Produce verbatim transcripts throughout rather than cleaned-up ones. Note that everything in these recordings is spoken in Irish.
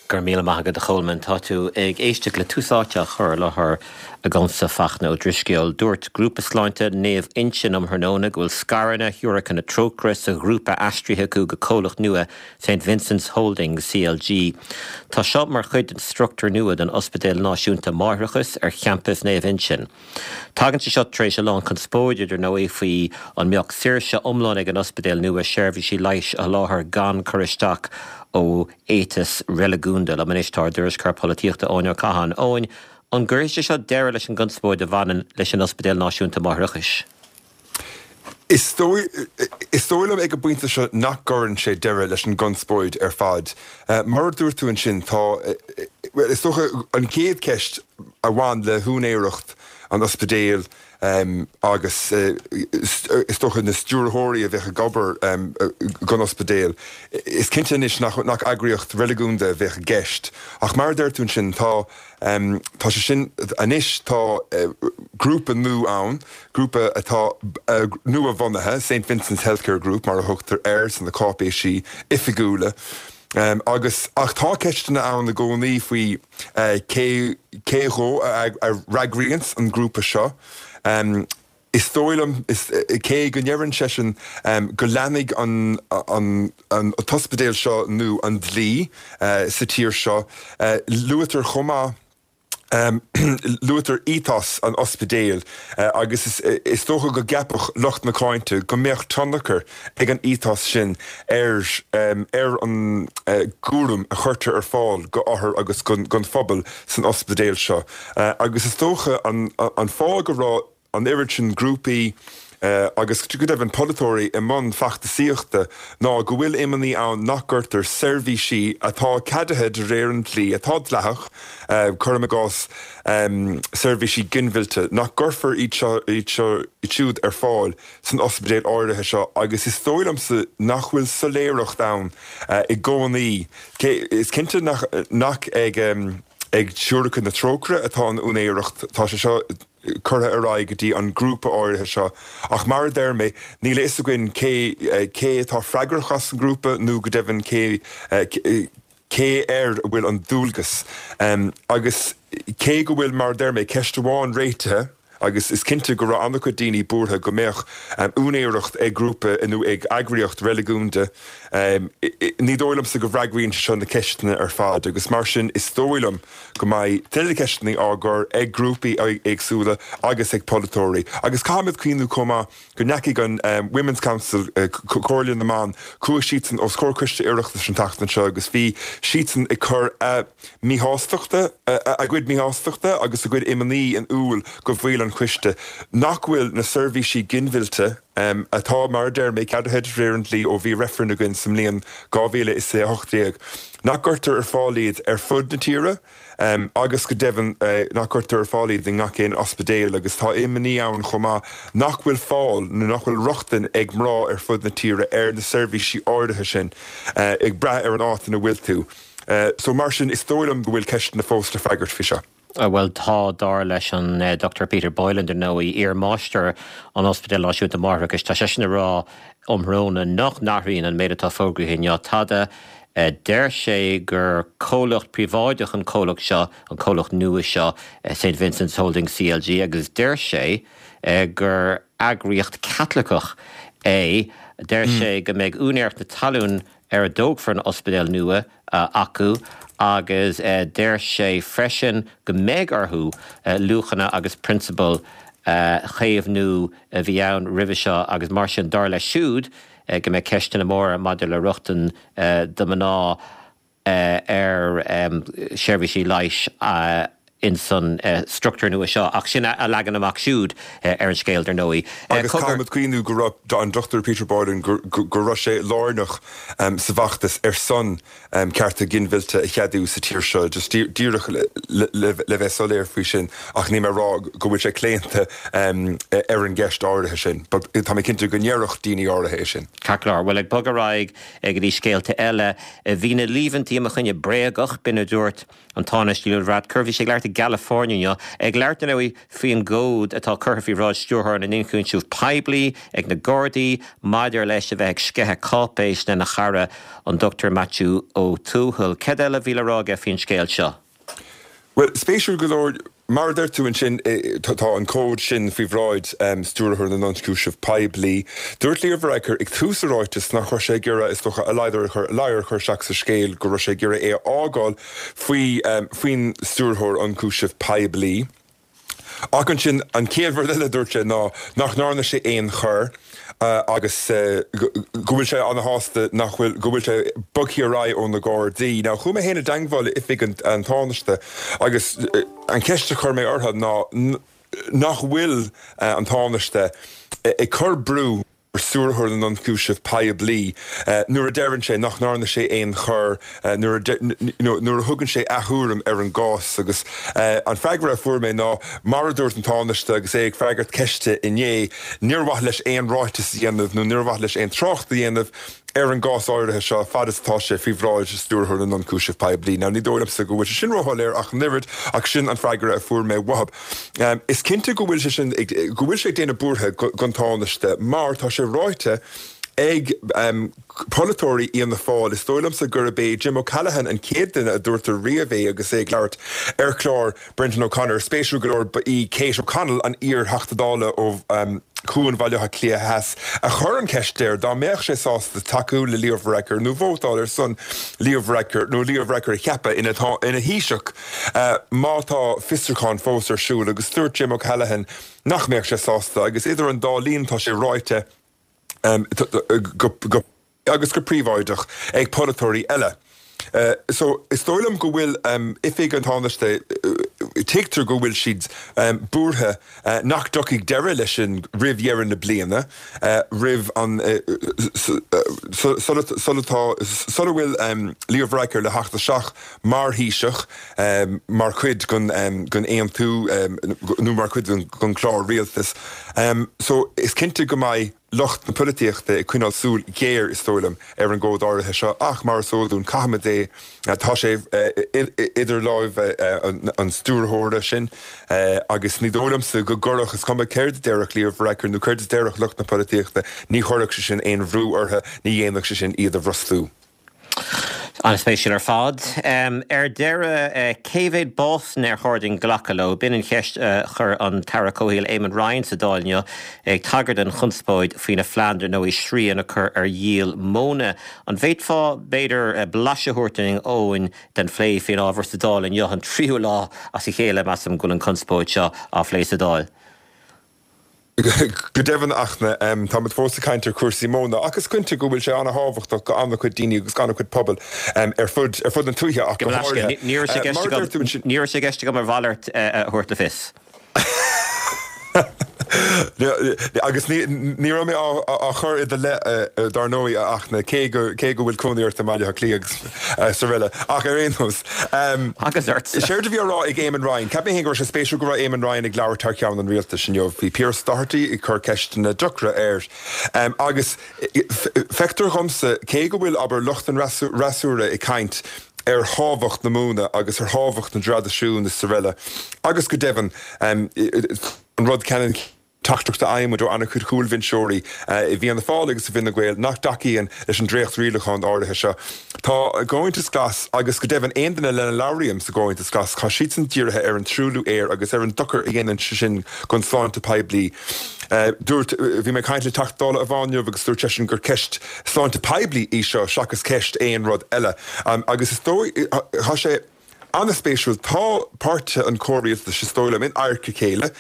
Go raibh míle maith agat a Cholmáin tá tú ag éisteacht le Tús Áite á chur i láthair agamsa Fachtna Ó Drisceoil. Dúirt Grúpa Sláinte Naomh Uinseann um thráthnóna go bhfuil scaireanna Shiúracha na Trócaire sa ghrúpa aistrithe acu go comhlacht nua St Vincent's Holdings CLG. Tá seo mar chuid den struchtúr nua den Ospidéal Náisiúnta Máithreachais ar champas Naomh Uinseann. Tagann sé seo tar éis a lán conspóide ar ndóigh faoi an mbeadh saoirse iomlán ag an ospidéal nua seirbhísí leighis a sholáthar gan cur isteach ó éiteas reiligiúnda liom anois tá ár dtuairisceoir polaitíochta Eoin Ó Catháin. Eoin, an gcuirfidh sé seo deireadh leis an gconspóid a bhaineann leis an Ospidéal Náisiúnta Máithreachais. Is dóigh liom ag an bpointe seo nach gcuireann sé deireadh leis an gconspóid ar fad. Mar a dúirt tú ansin tá is dócha an chéad cheist a bhain le húinéireacht an ospidéil agus is dócha na stiúrthóirí a bheadh ag obair don ospidéal. Is cinnte anois nach nach eagraíocht reiligiúnda a bheadh i gceist. Ach mar a deir tú ansin tá tá sé sin anois tá grúpa nua ann, grúpa atá nua-bhunaithe, St Vincent's Healthcare Group mar a thugtar air sna cáipéisí oifigiúla. Um, agus ach tá ceisteanna ann i gcónaí faoi uh, cé cé dhó a, a fhreagraíonn an grúpa seo. Um, is dóigh liom cé go ndeireann seisean um, go leanfaidh an, an, an, an t-ospidéal seo nó an dlí uh, sa tír seo. Uh, luaitear chomh maith Um, luaitear ethos an ospidéil uh, agus is, is dócha go gceapfadh lucht na cáinte go mbeadh tionchar ag an ethos sin ar um, ar an uh, gcúram a chuirtear ar fáil go othair agus gon, gon phobal san ospidéal seo. Uh, agus is dócha an, an fáth go raibh an oiread sin grúpaí Uh, agus go deimhin polaiteoirí i mbun feachtasaíochta ná go bhfuil imní ann nach gcuirtear seirbhísí atá ceadaithe de réir an dlí atá dleathach uh, cuirim i gcás um, seirbhísí ginmhillte nach gcuirfear iad siúd ar fáil san ospidéal áirithe seo agus is dóigh liomsa nach bhfuil soiléireacht ann uh, i gcónaí is cinnte nach, nach ag um, ag Siúracha na Trócaire atá an úinéireacht tá sé seo curtha ar aghaidh go dtí an grúpa áirithe seo ach mar a deir mé níl a fhios againn cé cé atá freagrach as an grúpa nó go deimhin cé cé air a bhfuil an dualgas um, agus cé go bhfuil mar a deir mé ceist amháin réitithe agus is cinnte go raibh an-chuid daoine buartha go mbeadh um, úinéireacht ag grúpa nó ag eagraíocht reiligiúnda um, ní dóigh liomsa go bhfreagraíonn seo na ceisteanna ar fad agus mar sin is dóigh liom go mbeidh tuilleadh ceisteanna á gcur ag grúpaí éagsúla agus ag polaiteoirí. Agus caithfimid cuimhneamh chomh maith go ndeachaigh an um, Women's Council uh, Comhairle na mBan chuaigh siadsan os comhair coiste Oireachtais an tseachtain seo agus bhí siadsan ag cur uh, míshástachta uh, a gcuid míshástachta agus a gcuid imní in iúl go bhfuil an coiste nach bhfuil na seirbhísí ginmhillte um, atá mar a deir mé ceadaithe de réir an dlí ó bhí reifreann againn sa mbliain dhá mhíle is a hocht déag. Nach gcuirtear ar fáil iad ar fud na tíre, um, agus go deimhin uh, nach gcuirtear ar fáil iad i ngach aon ospidéal agus tá imní ann chomh maith nach bhfuil fáil nó nach bhfuil rochtain ag mná ar fud na tíre ar na seirbhísí áirithe sin uh, ag brath ar an áit ina bhfuil tú. Uh, so mar sin is dóigh liom go bhfuil ceisteanna fós le freagairt faoi seo. Well tá dar leis an uh, Dr. Peter Boylan ar ndóigh iar-mháistir an Ospidéal Náisiúnta Máithreachais tá sé sin ag rá um thráthnóna nach n-athraíonn an méid atá fógraithe inniu tada uh, deir sé gur comhlacht príobháideach an comhlacht seo an comhlacht nua seo uh, St Vincent's Holding CLG agus deir sé uh, gur eagraíocht Chaitliceach é deir mm. sé go mbeidh úinéireacht na talún ar a dtógfar an ospidéal nua uh, acu agus uh, deir sé freisin go mbeidh orthu uh, luachanna agus prionsabail uh, chaomhnú a bhí ann roimhe seo agus mar sin dar leis siúd uh, go mbeidh ceisteanna móra maidir le rochtain uh, do mhná uh, ar um, seirbhísí leighis uh, in san uh, struchtúr nua seo ach sin a, a leagan amach siúd uh, ar an scéal dar ndóigh. Agus caithfimid cuimhneamh go raibh an Dr Peter Boylan go raibh sé lárnach um, sa bhfeachtas ar son um, cearta ginmhillte a cheadú sa tír seo, just díreach le, le, le bheith soiléir faoi sin ach ní mé rá go bhfuil sé claonta um, ar an gceist áirithe sin, Tá mé cinnte go ndéarfadh daoine áirithe é sin. Ceart well ag bogadh ar aghaidh ag dtí scéalta eile bhí na líomhaintí i mo choinne bréagach b'in a dúirt an Tánaiste Leo Varadkar bhí sé ag labhairt i gCalifornia inniu, ag labhairt ar ndóigh faoin gcomhad atá curtha faoi bhráid Stiúrthóir na nIonchúiseamh Poiblí ag na Gardaí maidir leis a bheith ag sceitheadh cáipéis lena chara an Dochtúir Maitiú Ó Tuathail. Céard eile a bhí le rá aige faoin scéal seo? Bhuel, spéisiúil go leor, mar a deir tú ansin, tá an comhad sin faoi bhráid Stiúrthóir na nIonchúiseamh Poiblí. Dúirt Leo Varadkar ag tús a ráitis nach raibh sé ag iarraidh, is dócha, a ladhar a chur, ladhar a chur isteach sa scéal, go raibh sé ag iarraidh é a fhágáil faoi, faoin Stiúrthóir Ionchúiseamh Poiblí. Ach ansin, an chéad rud eile a dúirt sé ná nach ndearna sé aon choir agus go bhfuil sé ana-shásta nach bhfuil, go bhfuil sé bogtha ar aghaidh ó na Gardaí. Now, chuaigh mé féin i dteangmháil le oifig an Tánaiste agus an cheist a chuir mé orthu ná nach bhfuil an Tánaiste ag cur brú ar Stiúrthóir na nIonchúiseamh Poiblí nuair a deireann sé nach ndearna sé aon choir, nuair a thugann sé ath-thuairim ar an gcás. Agus an freagra a fuair mé ná, mar a dúirt an Tánaiste agus é ag freagairt ceiste inné, níor mhaith leis aon ráiteas a dhéanamh nó níor mhaith leis aon trácht a dhéanamh ar an gcás áirithe seo fad is atá sé faoi bhráid Stiúrthóir na nIonchúiseamh Poiblí. Now, ní dóigh liomsa go bhfuil sé sin róshoiléir ach an oiread, ach sin an freagra a fuair mé uathu. Is cinnte go bhfuil sé sin, go bhfuil sé ag déanamh buartha don Tánaiste mar tá sé ráite ag polaiteoirí Fhianna Fáil, is dóigh liomsa gurb é Jim O'Callaghan an chéad duine a dúirt riamh é agus é ag labhairt ar chlár Brendan O'Connor. Spéisiúil go leor, ba í Kate O'Connell, an iar-Theachta Dála ó Chuan Bhaile Átha Cliath Theas, a chuir an cheist air dá mbeadh sé sásta tacú le Leo Varadkar nó vótáil ar son Leo Varadkar nó Leo Varadkar a cheapadh ina Thaoiseach má tá fiosrúchán fós ar siúl agus dúirt Jim O'Callaghan nach mbeadh sé sásta agus idir an dá linn tá sé ráite go agus go príobháideach ag polaiteoirí eile. So, is dóigh liom go bhfuil Oifig an Tánaiste, tuigtear go bhfuil siad buartha nach dtiocfaidh deireadh leis sin roimh dheireadh na bliana, roimh an, sula tá, sula bhfuil Leo Varadkar le theacht isteach mar Thaoiseach, mar chuid den aontú nó mar chuid den chlár rialtais. So, is cinnte go mbeidh lucht na polaitíochta ag coinneáil súil ghéar, is dóigh liom, ar an gcomhad áirithe seo ach, mar is eol dúinn, caithfimid é, tá sé idir láimhe an stiúrthóra sin agus ní dóigh liomsa go gcuirfeadh, is cuma céard a déarfadh Leo Varadkar nó céard a déarfadh lucht na polaitíochta, ní chuirfeadh sé sin aon bhrú orthu, ní dhéanfadh sé sin iad a bhrostú. An-spéisiúil ar fad. Ar deireadh, cé mhéad básanna ar chóir dúinn glacadh leo? B'in an cheist a chuir an tAire Comhshaoil Eamon Ryan sa Dáil inniu, ag tagairt don chonspóid faoina phlean dar ndóigh srian a chur ar dhíol móna. An bhféadfá, b'fhéidir, blaiseadh a thabhairt dúinn, Eoin, den phlé faoin ábhar sa Dáil inniu, an tríú lá as a chéile, measaim, go bhfuil an chonspóid seo á phlé sa Dáil? Go deimhin, a Fhachtna, táimid fós ag caint ar chúrsaí móna ach is cinnte go bhfuil sé an-thábhachtach go an-chuid daoine agus go an-chuid pobal ar fud ar fud na tuaithe ach go háirithe. Ní raibh sé i gceist agam, ní raibh sé i gceist agam a mhalairt a thabhairt le fios. Agus ní raibh mé á chur i do leith, dar ndóigh, a Fhachtna, cé go cé go bhfuil cónaí ort i mBaile Átha Cliath agus araile. Ach ar aon nós, Agus ort. Séard a bhí á rá ag Eamon Ryan, cheap mé féin go raibh sé spéisiúil go raibh Eamon Ryan ag labhairt thar ceann an rialtais inniu. Bhí Pearse Doherty ag cur ceisteanna deacra air. Agus feictear dhomsa, cé go bhfuil, abair, lucht an fhreasúra ag caint ar thábhacht na móna agus ar thábhacht na dtraidisiún is araile, agus go deimhin, an rud ceannann teachtaireacht a fhaigheann muid ó an-chuid cúlbhinseoirí i bhFianna Fáil agus i bhFine Gael nach dtacaíonn leis an dréacht-rialachán áirithe seo. Tá an Comhaontas Glas, agus go deimhin aon duine lena labhraím sa gComhaontas Glas, tá siadsan dírithe ar an truailliú aeir agus ar an dochar a dhéanann sé sin don tsláinte poiblí. Dúirt, bhí mé ag caint le Teachta Dála amháin inniu agus dúirt seisean gur ceist sláinte poiblí í seo seachas ceist aon rud eile. Agus is dóigh, tá sé an-spéisiúil, tá páirtithe an chomhrialtais, is dóigh liom, in adharca a chéile,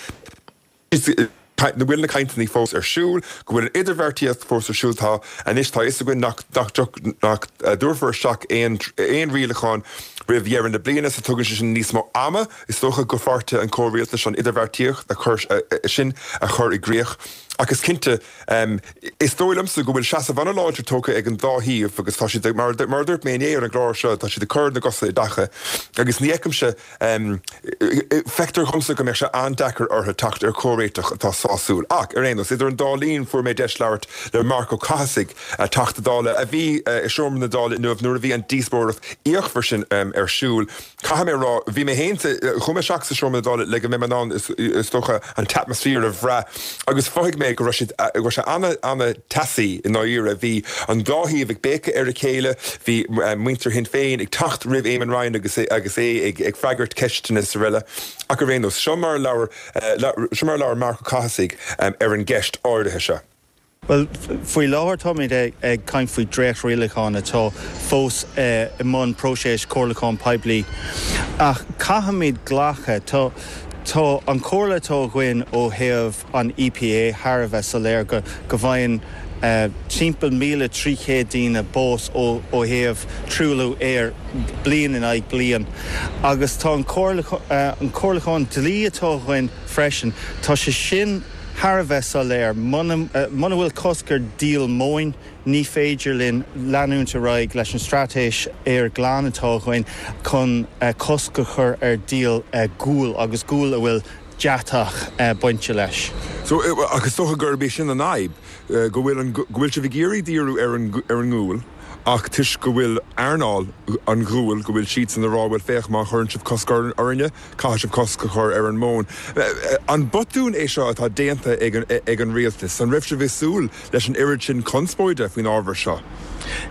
go bhfuil na cainteanna fós ar siúl, go bhfuil an idirbheartaíocht fós ar siúl, tá, anois tá a fhios againn nach, nach, nach dtabharfar isteach aon, aon rialachán roimh dheireadh na bliana, so tugann sé sin níos mó ama, is dócha, do pháirtithe an chomhrialtais an idirbheartaíocht a chur, sin a chur i gcrích. Ach is cinnte, is dóigh liomsa go bhfuil seasamh an-láidir tógtha ag an dá thaobh agus tá siad, mar a dúirt mé inné ar an gclár seo, tá siad ag cur na gcosa i dtaca agus ní fheicimse, feictear dhomsa go mbeadh sé an-deacair orthu teacht ar chomhréiteach atá sásúil. Ach, ar aon nós, idir an dá linn fuair mé deis labhairt le Marc Ó Cathasaigh, Teachta Dála a bhí i seomra na Dála inniu nuair a bhí an díospóireacht fhíochmhar sin ar siúl. Caithfidh mé a rá, bhí mé féin sa, chuaigh mé isteach sa seomra na Dála le go mbeidh mé in ann, is dócha, an t-atmaisféar a bhrath agus mhothaigh mé go raibh siad, go raibh sé an-an-teasaí i ndáiríre. Bhí an dá thaobh ag béiceadh ar a chéile, bhí muintir Shinn Féin ag teacht roimh Éamon Ryan agus agus é ag ag freagairt ceisteanna is araile. Ach ar aon nós, seo mar a labhair, seo mar a labhair Marc Ó Cathasaigh ar an gceist áirithe seo. Bhuel, faoi láthair táimid ag caint faoi dréacht-rialachán atá fós i mbun próiseas comhairliúcháin poiblí. Ach caithfimid glacadh, tá tá an chomhairle atá againn ó thaobh an EPA thar a bheith soiléir go go bhfaigheann timpeall míle trí chéad daoine bás ó ó thaobh truailliú aeir bliain in aghaidh bliain. Agus tá an an comhairliúchán dlí atá againn freisin, tá sé sin thar a bheith soiléir, muna bhfuil cosc ar dhíol móin, ní féidir linn leanúint ar aghaidh leis an straitéis aer glan atá againn chun cosc a chur ar dhíol guail agus gual a bhfuil deatach bainte leis. So, ach is dócha gurb é sin an fhadhb, go bhfuil an, go bhfuil sibh ag iarraidh díriú ar an, ar an ngual ach toisc go bhfuil earnáil an ghuail, go bhfuil siadsan ag rá, bhuel féach, má chuireann sibh cosc orainne, caithfidh sibh cosc a chur ar an móin. An botún é seo atá déanta ag an rialtas? An raibh sibh ag súil leis an oiread sin conspóide faoin ábhar seo?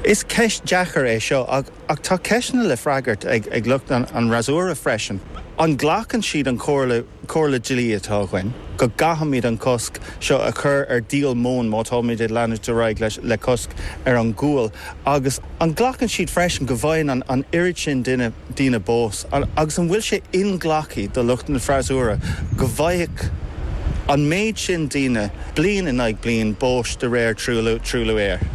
Is ceist deacair é seo ach tá ceisteanna le freagairt ag lucht an fhreasúra freisin. An nglacann siad an chomhairle comhairle dlí atá againn go gcaithfimid an cosc seo a chur ar dhíol móin má táimid ag leanúint ar aghaidh le cosc ar an ghual agus an nglacann siad freisin go bhfaigheann an oiread sin duine daoine bás agus an bhfuil sé inghlactha do lucht an fhreasúra go bhfaigheadh an méid sin daoine bliain in aghaidh bliain báis de réir truailliú aeir.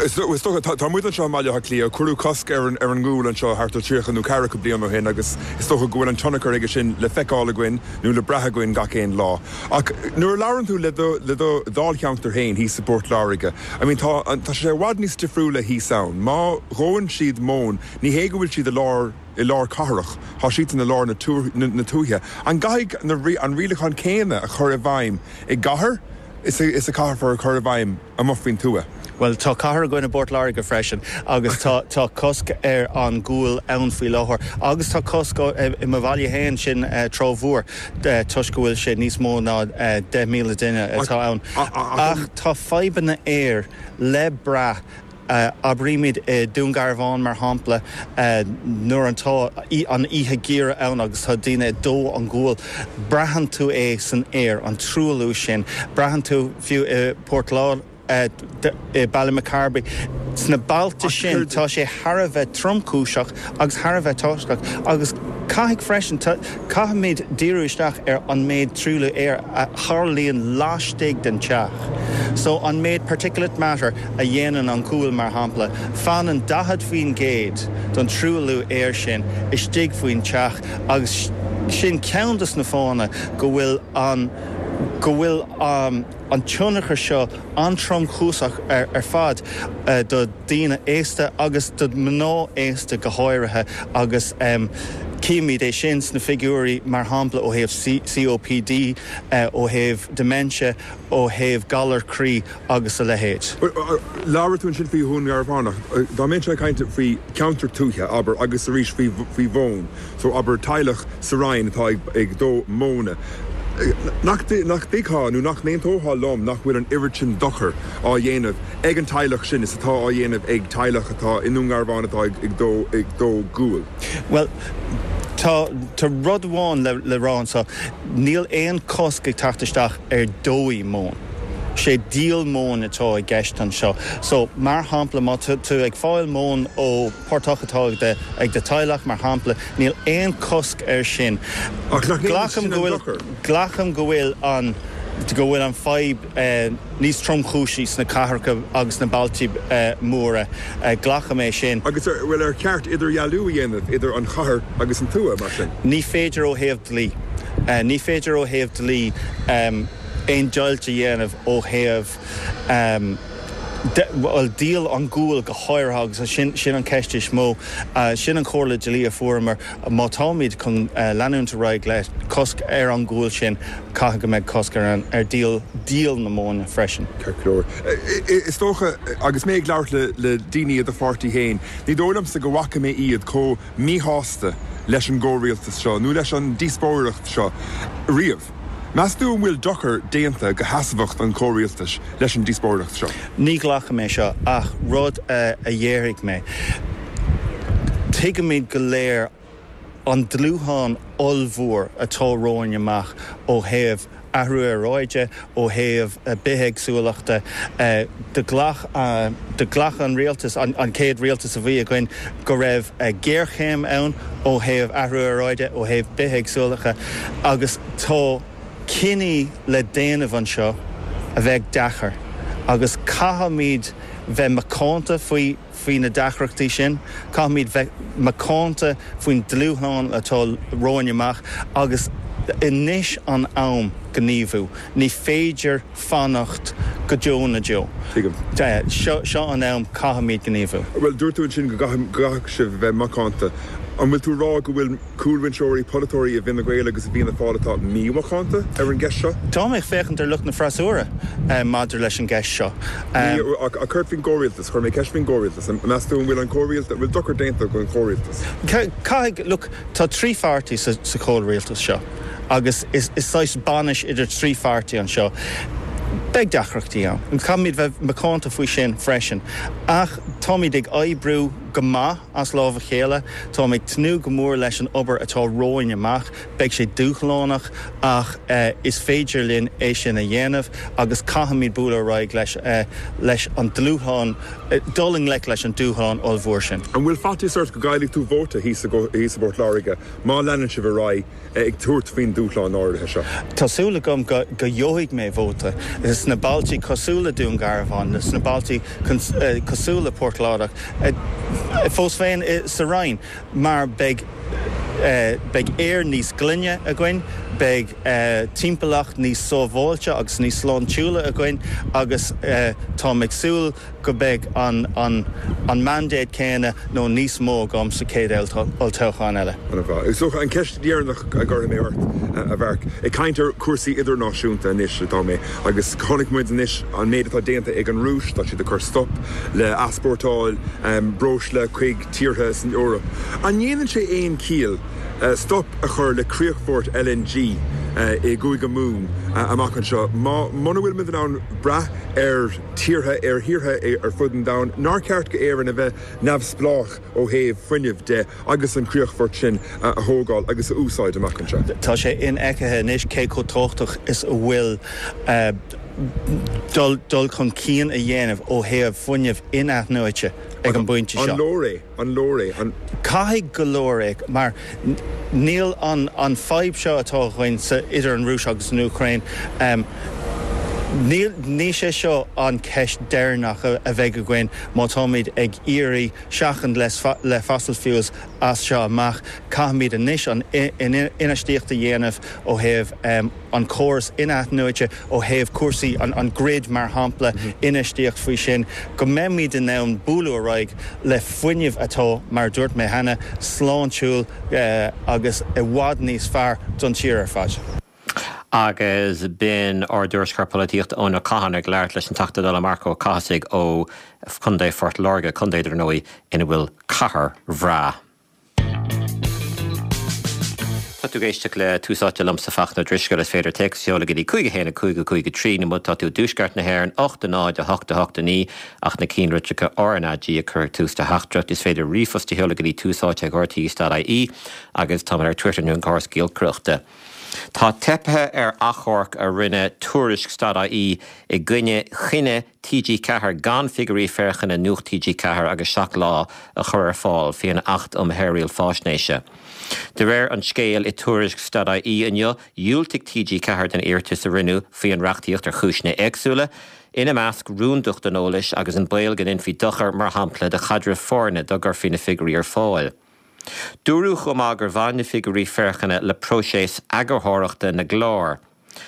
Is dócha, tá muid anseo i mBaile Átha Cliath, cuireadh cosc ar an ngual anseo thart ar tríocha nó ceathracha bliain ó shin agus is dócha go bhfuil an tionchar aige sin le feiceáil againn nó le brath againn gach aon lá. Ach nuair a labhrann tú le do le do dháilcheantar féin thíos i bPort Láirge, I mean tá tá sé i bhfad níos difriúla thíos ann. Má dhóann siad móin, ní hé go bhfuil siad i lár i lár cathrach, tá siadsan i lár na na tuaithe. An gcaithfidh na an rialachán céanna a chur i bhfeidhm i gcathair is a is a caithfear a chur i bhfeidhm amuigh faoin tuath? Bhuel, tá cathair againn i bPort Láirge freisin agus tá tá cosc ar an ghual ann faoi láthair agus tá cosc i mo bhaile féin, sin Trá Mhór, toisc go bhfuil sé níos mó ná deich míle duine atá ann. Ach tá fadhbanna aeir le brath. Abraímid i Dún Garbhán, mar shampla, nuair atá an oíche gheimhridh ann agus tá daoine ag dó an ghual, braitheann tú é san aer, an truailliú sin. Braitheann tú fiú i Port Láirge, i Ballymacarbry. Sna bailte sin tá sé thar a bheith tromchúiseach agus thar a bheith tábhachtach agus caithfidh freisin, caithfimid díriú isteach ar an méid truailliú aeir a tharlaíonn laistigh den teach. So an méid particulate matter a dhéanann an gual mar shampla, fanann daichead faoin gcéad den truailliú aeir sin istigh faoin teach agus sin ceann de na fáthanna go bhfuil an go bhfuil an tionchar seo an-tromchúiseach ar fad do dhaoine aosta agus do mhná aosta go háirithe agus címid é sin sna figiúirí mar shampla ó thaobh COPD, ó thaobh dementia, ó thaobh galar croí agus a leithéid. Labhair tú ansin faoi Dhún Garbhán ach dá mbeinnse ag caint faoi cheantar tuaithe, abair, agus arís faoi mhóin, so abair teaghlach sa Rinn atá ag dó móna, Nach dtuigfeá nó nach n-aontófá liom nach bhfuil an oiread sin dochair á dhéanamh ag an teaghlach sin is atá á dhéanamh ag teaghlach atá i nDún Garbhán atá ag dó ag dó guail? Bhuel, tá tá rud amháin le le rá anseo, níl aon chosc ag teacht isteach ar dóigh móin. Sé díol móin atá i gceist anseo. So, mar shampla, má tá tú ag fáil móin ó portach atá ag do ag do teaghlach, mar shampla, níl aon chosc air sin. Ach nach ndéanann Glacaim sin go an bhfuil dochar? Glacaim go bhfuil an go bhfuil an fadhb níos tromchúisí sna cathracha agus sna bailte móra. Glacaim é sin. Agus ar bhuel ar cheart idirdhealú a dhéanamh idir an chathair agus an tuath, mar sin? Ní féidir ó thaobh dlí. Ní féidir ó thaobh dlí. aon deighilt a dhéanamh ó thaobh bhuel díol an ghuail go háirithe agus sin sin an ceist is mó. Sin an chomhairle dlí a fuaireamar, má táimid chun leanúint ar aghaidh le cosc ar an ghual sin, caithfidh go mbeidh cosc ar an ar díol díol na móna freisin. Ceart go leor. Is dócha, agus mé ag labhairt le le daoine i do pháirtí féin, ní dóigh liomsa go bhfaca mé iad chomh míshásta leis an gcomhrialtas seo nó leis an díospóireacht seo riamh. Meas tú an bhfuil dochar déanta do sheasmhacht an chomhrialtais leis an díospóireacht seo? Ní ghlacaim é seo ach rud a dhéarfaidh mé, tuigimid go léir an dúshlán ollmhór atá romhainn amach ó thaobh athrú aeráide, ó thaobh bithéagsúlachta. Do ghlac do ghlac an rialtas, an chéad rialtas a bhí againn, go raibh géarchéim ann ó thaobh athrú aeráide, ó thaobh bithéagsúlachta agus tá cinní le déanamh anseo a bheidh deacair agus caithfimid bheith macánta faoi faoi na deacrachtaí sin, caithfimid bheith macánta faoin dúshlán atá romhainn amach agus anois an am gníomhú. Ní féidir fanacht go deo na deo. Tuigim. Seo seo an am, caithfimid gníomhú. Bhuel, dúirt tú ansin go gcaithfidh sibh bheith macánta. An bhfuil tú ag rá go bhfuil cúlbhinseoirí, polaiteoirí i bhFine Gael agus i bhFianna Fáil atá mímhacánta ar an gceist seo? Tá mé ag féachaint ar lucht na freasúra maidir leis an gceist seo. Ní, ach céard faoin gcomhrialtas? Chuir mé ceist faoin gcomhrialtas. Meas tú an bhfuil an comhrialtas, an bhfuil dochar déanta don chomhrialtas? Caithfidh, look, tá trí pháirtí sa chomhrialtas seo agus is saghas bainis idir trí pháirtí anseo. Beidh deacrachtaí ann. Caithfimid bheith macánta faoi sin freisin. Ach táimid ag oibriú go maith as lámh a chéile. Táim ag tnúth go mór leis an obair atá romhainn amach. Beidh sé dúshlánach ach is féidir linn é sin a dhéanamh agus caithfimid bualadh ar aghaidh leis leis an dúshlán, dul i ngleic leis an dúshlán ollmhór sin. An bhfuil faitíos ort go gcaillfidh tú vóta thíos i bPort Láirge má leanann sibh ar aghaidh ag tabhairt faoin dúshlán áirithe seo? Tá súil agam go gheobhaidh mé vóta sna bailtí cosúil le Dún Garbhán, sna bailtí cosúil le Port Láirge, fós féin sa Rinn, mar beidh beidh aer níos glaine againn, beidh timpeallacht níos sábháilte agus níos sláintiúla againn agus táim ag súil go mbeidh an an mandate céanna nó níos mó agam sa chéad olltoghchán eile. An-mhaith. Is dócha an ceist dheireanach a gcuirfidh mé ort, a Mharc, ag caint ar chúrsaí idirnáisiúnta anois atá mé agus chonaic muid anois an méid atá déanta ag an Rúis, tá siad ag cur stop le easpórtáil breosla chuig tíortha san Eoraip. An ndéanann sé aon chiall stop a chur le críochfort L N G i gCúige Mumhan amach anseo? Muna bhfuil muid in ann brath ar tíortha ar thíortha ar fud an domhain, nár cheart d'Éirinn a bheith neamhspleách ó thaobh fuinnimh de agus an críochfort sin a thógáil agus a úsáid amach anseo? Tá sé infheicthe anois cé chomh tábhachtach is a bhfuil dul dul chun cinn a dhéanamh ó thaobh fuinneamh in-athnuaite ag an bpointe seo. An leor é? An leor é? An. Caithfidh go leor é mar níl an an fadhb seo atá againn sa idir an Rúis agus an Úcráin, níl ní sé seo an ceist deireanach a bheidh againn má táimid ag iarraidh seachaint le le fossil fuels as seo amach. Caithfimid anois an infheistíocht a dhéanamh ó thaobh an córas in-athnuaite, ó thaobh cúrsaí an an grid mar shampla, infheistíocht faoi sin go mbeimid in ann bualadh ar aghaidh le fuinneamh atá, mar a dúirt mé cheana, sláintiúil agus i bhfad níos fearr don tír ar fad. Agus b'in ár dtuairisceoir polaitíochta Eoin Ó Catháin ag labhairt leis an Teachta Dála Marc Ó Cathasaigh ó Chontae Phort Láirge, contae dar ndóigh ina bhfuil cathair bhreá. Tá tú ag éisteacht le Tús Áite liomsa Fachtna Ó Drisceoil. Is féidir téacs a sheoladh go dtí cúig a haon a cúig a cúig a trí nó má tá tú i dtuaisceart na hÉireann, ocht a náid a hocht a hocht a naoi ach na ceannlitreacha R N A G a chur ag tús do theachtaireacht. Is féidir ríomhphost a sheoladh go dtí túsáite ag R T E dot I E agus táimid ar Twitter nó an córas giolcaireachta. Tá teipthe ar achomharc a rinne Tuairisc dot I E i gcoinne chinneadh T G ceathair gan figiúirí féachana Nuacht T G ceathair agus Seacht Lá a chur ar fáil faoin Acht um Shaoráil Faisnéise. De réir an scéil i Tuairisc dot I E inniu, dhiúltaigh T G ceathair den iarratas a rinneadh faoin reachtaíocht ar chúiseanna éagsúla, ina measc rúndacht an eolais agus an baol go ndéanfaí dochar mar shampla do chaidreamh foirne dá gcuirfí na figiúirí ar fáil. Dúradh chomh maith gur bhain na figiúirí féachana le próiseas eagarthóireachta na gclár.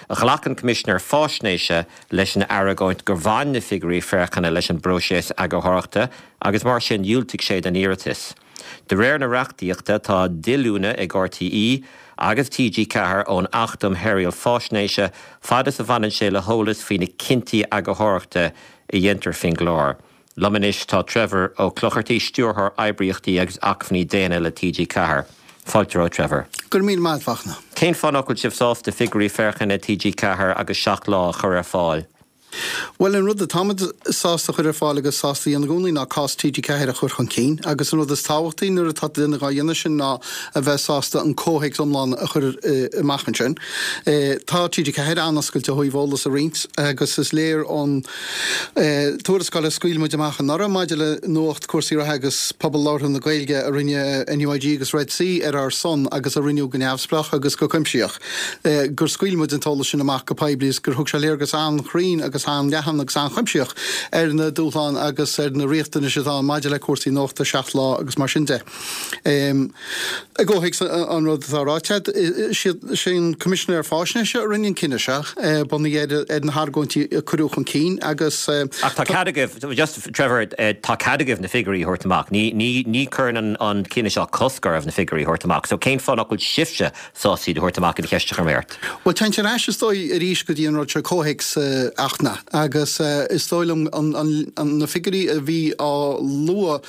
Ghlac an Coimisinéir Faisnéise leis an argóint gur bhain na figiúirí féachana leis an bpróiseas eagarthóireachta agus mar sin dhiúltaigh sé don iarratas. De réir na reachtaíochta tá díolúine ag R T É agus T G Ceathair ón Acht um Shaoráil Faisnéise fad is a bhaineann sé le heolas faoi na cinntí eagarthóireachta a dhéantar faoin gclár. Liom anois tá Trevor Ó Clochartaigh, Stiúrthóir Oibríochtaí agus Acmhainní Daonna le T G Ceathair. Fáilte romhat, Trevor. Go raibh míle maith agat. Cén fáth nach bhfuil sibh sásta figiúirí féachana T G Ceathair agus Seacht Lá a chur ar fáil? Well, an rud atáimid sásta chur ar fáil agus sásta a dhéanamh i gcónaí ná cás T G Ceathair a chur chun cinn, agus an rud is tábhachtaí nuair atá duine á dhéanamh sin ná a bheith sásta an comhthéacs iomlán a chur amach ansin. Tá T G Ceathair an-oscailte ó thaobh eolas a roinnt agus is léir ón tuarascáil a scaoil muid amach anuraidh maidir le nuacht, cúrsaí reatha agus pobal labhartha na Gaeilge a rinne N U I G agus Red C ar ár son agus a rinneadh go neamhspleách agus go cuimsitheach, gur scaoil muid an t-eolas sin amach go poiblí is gur thug sé léargas an-chruinn agus an-leathan agus an-chuimsitheach ar na dúshláin agus ar na riachtanais atá maidir le cúrsaí nuachta Seacht Lá agus mar sin de. I gcomhthéacs an rud atá ráite, sé an Coimisinéir Faisnéise a rinne an cinneadh seo bunaithe ar na hargóintí a cuireadh chun cinn agus Ach tá cead agaibh, just Trevor, tá cead agaibh na figiúirí a thabhairt amach. Ní ní ní chuireann an cinneadh seo cosc oraibh na figiúirí a thabhairt amach. So cén fáth nach bhfuil sibhse sásta iad a thabhairt amach an cheist a chuir mé ort? Well, téann ar ais is dóigh arís go dtí an rud seo, comhthéacs achna, agus is dóigh liom na figiúirí a bhí á lua,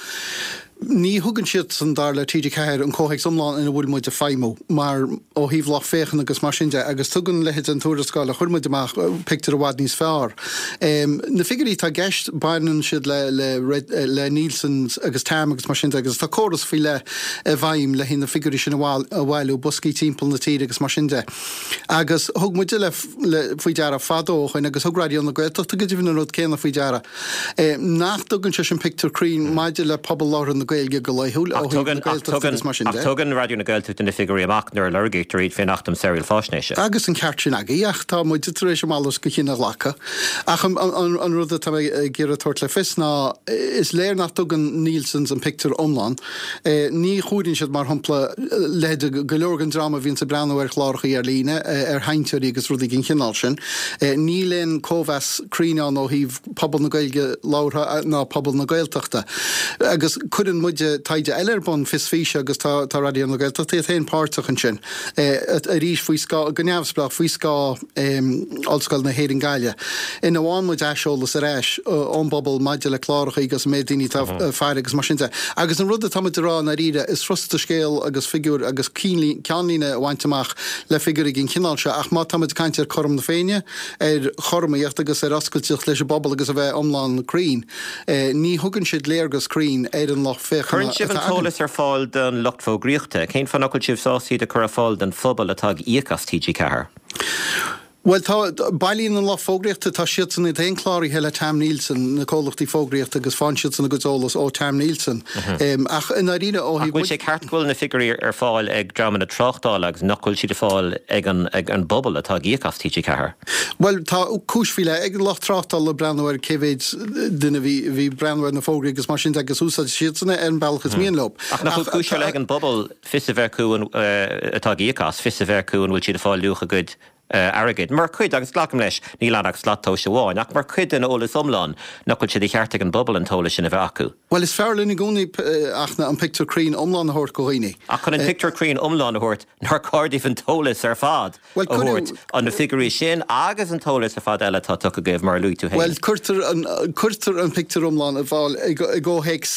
ní thugann siad san, dar le T G Ceathair, an comhthéacs iomlán ina bhfuil muid ag feidhmiú mar ó thaobh lucht féachana agus mar sin de, agus tugann leithéid an tuarascáil a chuir muid amach pictiúr i bhfad níos fearr. Na figiúirí atá i gceist, baineann siad le le le Nielsen agus T A M agus mar sin de, agus tá córas faoi leith i bhfeidhm le na figiúirí sin a bhailiú, boscaí timpeall na tíre agus mar sin de. Agus thug muide le faoi deara fadó ó shin, agus thug Raidió na Gaeltachta go deimhin an rud céanna faoi deara, nach dtugann sé sin pictiúr cruinn maidir le pobal labhartha na Gaeilge go laethúil ó thaobh na Gaeltachta agus mar sin de. Ach tugann Raidió na Gaeltachta na figiúirí amach nuair a lorgaítear iad faoin Acht um Shaoráil Faisnéise. Agus an ceart sin agaibh, ach tá muid tar éis a mhalairt de chinneadh a ghlacadh. Ach an, an, an rud atá ag iarraidh tabhairt le fios ná is léir nach dtugann Nielsen's an pictiúr iomlán. E, ní chomhaireann siad, mar shampla, leithéid go leor den dream a bhíonn ag breathnú ar chláracha ar líne, ar sheinnteoirí agus rudaí den chineál sin. E, níl aon chóimheas cruinn ann ó thaobh pobal na Gaeilge labhartha ná pobal na Gaeltachta. Agus cuireann muid taighde eile ar bun, Fios Físe, agus tá tá Raidió na Gaeltachta iad féin páirteach ansin arís faoi scáth, go neamhspleách faoi scáth Ollscoil na hÉireann Gaillimh, ina bhfaigheann muid aiseolas ar ais ón bpobal maidir le cláracha agus an méid daoine atá ag faire agus mar sin de. Agus an rud atá muid ag rá i ndáiríre, is furasta scéal agus figiúr agus ceannlíne a bhaint amach le figiúirí den chineál seo, ach má tá muid ag caint ar chothrom na Féinne, ar chothromaíocht agus ar oscailteacht leis an bpobal agus a bheith iomlán cruinn, ní thugann siad léargas cruinn ar an lucht féachana. Cuireann sibh an t-eolas ar fáil don lucht fógraíochta. Cén fáth nach bhfuil sibh sásta iad a chur ar fáil don phobal atá ag íoc as T G Ceathair? Well, tá bailíonn an lucht fógraíochta, tá siadsan iad féin cláraithe le T A M Nielsen, na comhlachtaí fógraíochta, agus faigheann siadsan a gcuid eolas ó T A M Nielsen. Ach i ndáiríre ó thaobh. Ach bhfuil sé ceart go bhfuil na figiúirí ar fáil ag dreamanna tráchtála agus nach bhfuil siad ar fáil ag an ag an bpobal atá ag íoc as T G Ceathair? Bhuel, tá cúis faoi leith ag lucht tráchtála breathnú ar cé mhéid duine bhí bhí breathnú ar na fógraí agus mar sin de, agus úsáid siadsan é ar an bealach is mian leo. Ach nach bhfuil cúis faoi leith ag an bpobal fios a bheith acu an atá ag íoc as, fios a bheith acu an bhfuil siad ag fáil luach a gcuid airgid? Mar chuid, agus glacaim leis, níl ann ach slat tomhais amháin, ach mar chuid den eolas iomlán, nach bhfuil sé de cheart ag an bpobal an t-eolas sin a bheith acu? Bhuel, is fearr linn i gcónaí ach an pictiúr cruinn iomlán a thabhairt do dhaoine. Ach chun an pictiúr cruinn iomlán a thabhairt, nár chóir daoibh an t-eolas ar fad a thabhairt, an na figiúirí sin agus an t-eolas ar fad eile atá tugtha agaibh, mar a luaigh tú féin? Bhuel, cuirtear an, cuirtear an pictiúr iomlán ar fáil i gcomhthéacs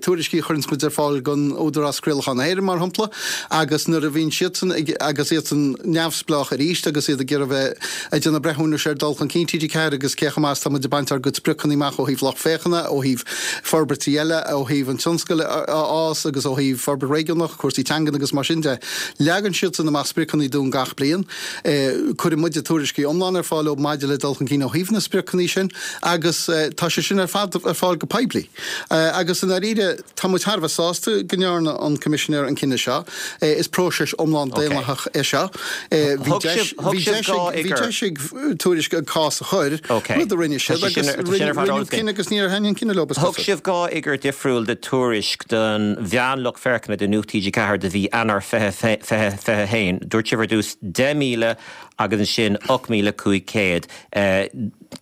tuairiscí a chuireann muid ar fáil don Údarás Craolacháin na hÉireann, mar shampla, agus nuair a bhíonn siadsan ag, agus iadsan neamhspleách arís agus iad ag iarraidh bheith ag déanamh breithiúnais ar dul chun cinn T G Ceathair agus cé chomh maith is atá muid ag baint ár gcuid spriocanna amach ó thaobh lucht féachana, ó thaobh forbairtí eile, ó thaobh an tionscail a fhás agus ó thaobh forbairt réigiúnach, cúrsaí teangan agus mar sin de. Leagann siadsan amach spriocanna dúinn gach bliain. Cuireann muide tuairiscí iomlán ar fáil leo maidir le dul chun cinn ó thaobh na spriocanna sin agus tá sé sin ar fad ar fáil go poiblí. Agus i ndáiríre, tá muid thar a bheith sásta go ndearna an Coimisinéir an cinneadh seo. Is próiseas iomlán daonlathach é seo. Bhí deis, Bhí deis ag Tuairisc an cás a chur, rud a rinne siad agus rinneadh cinneadh agus níor thaitin an cinneadh leo. Thug sibh dhá fhigiúr difriúil do Tuairisc don mheánlucht féachana do Nuacht T G ceathair do mhí Eanáir fiche fiche a haon. Dúirt sibh ar dtús deich míle agus ansin ocht míle cúig chéad.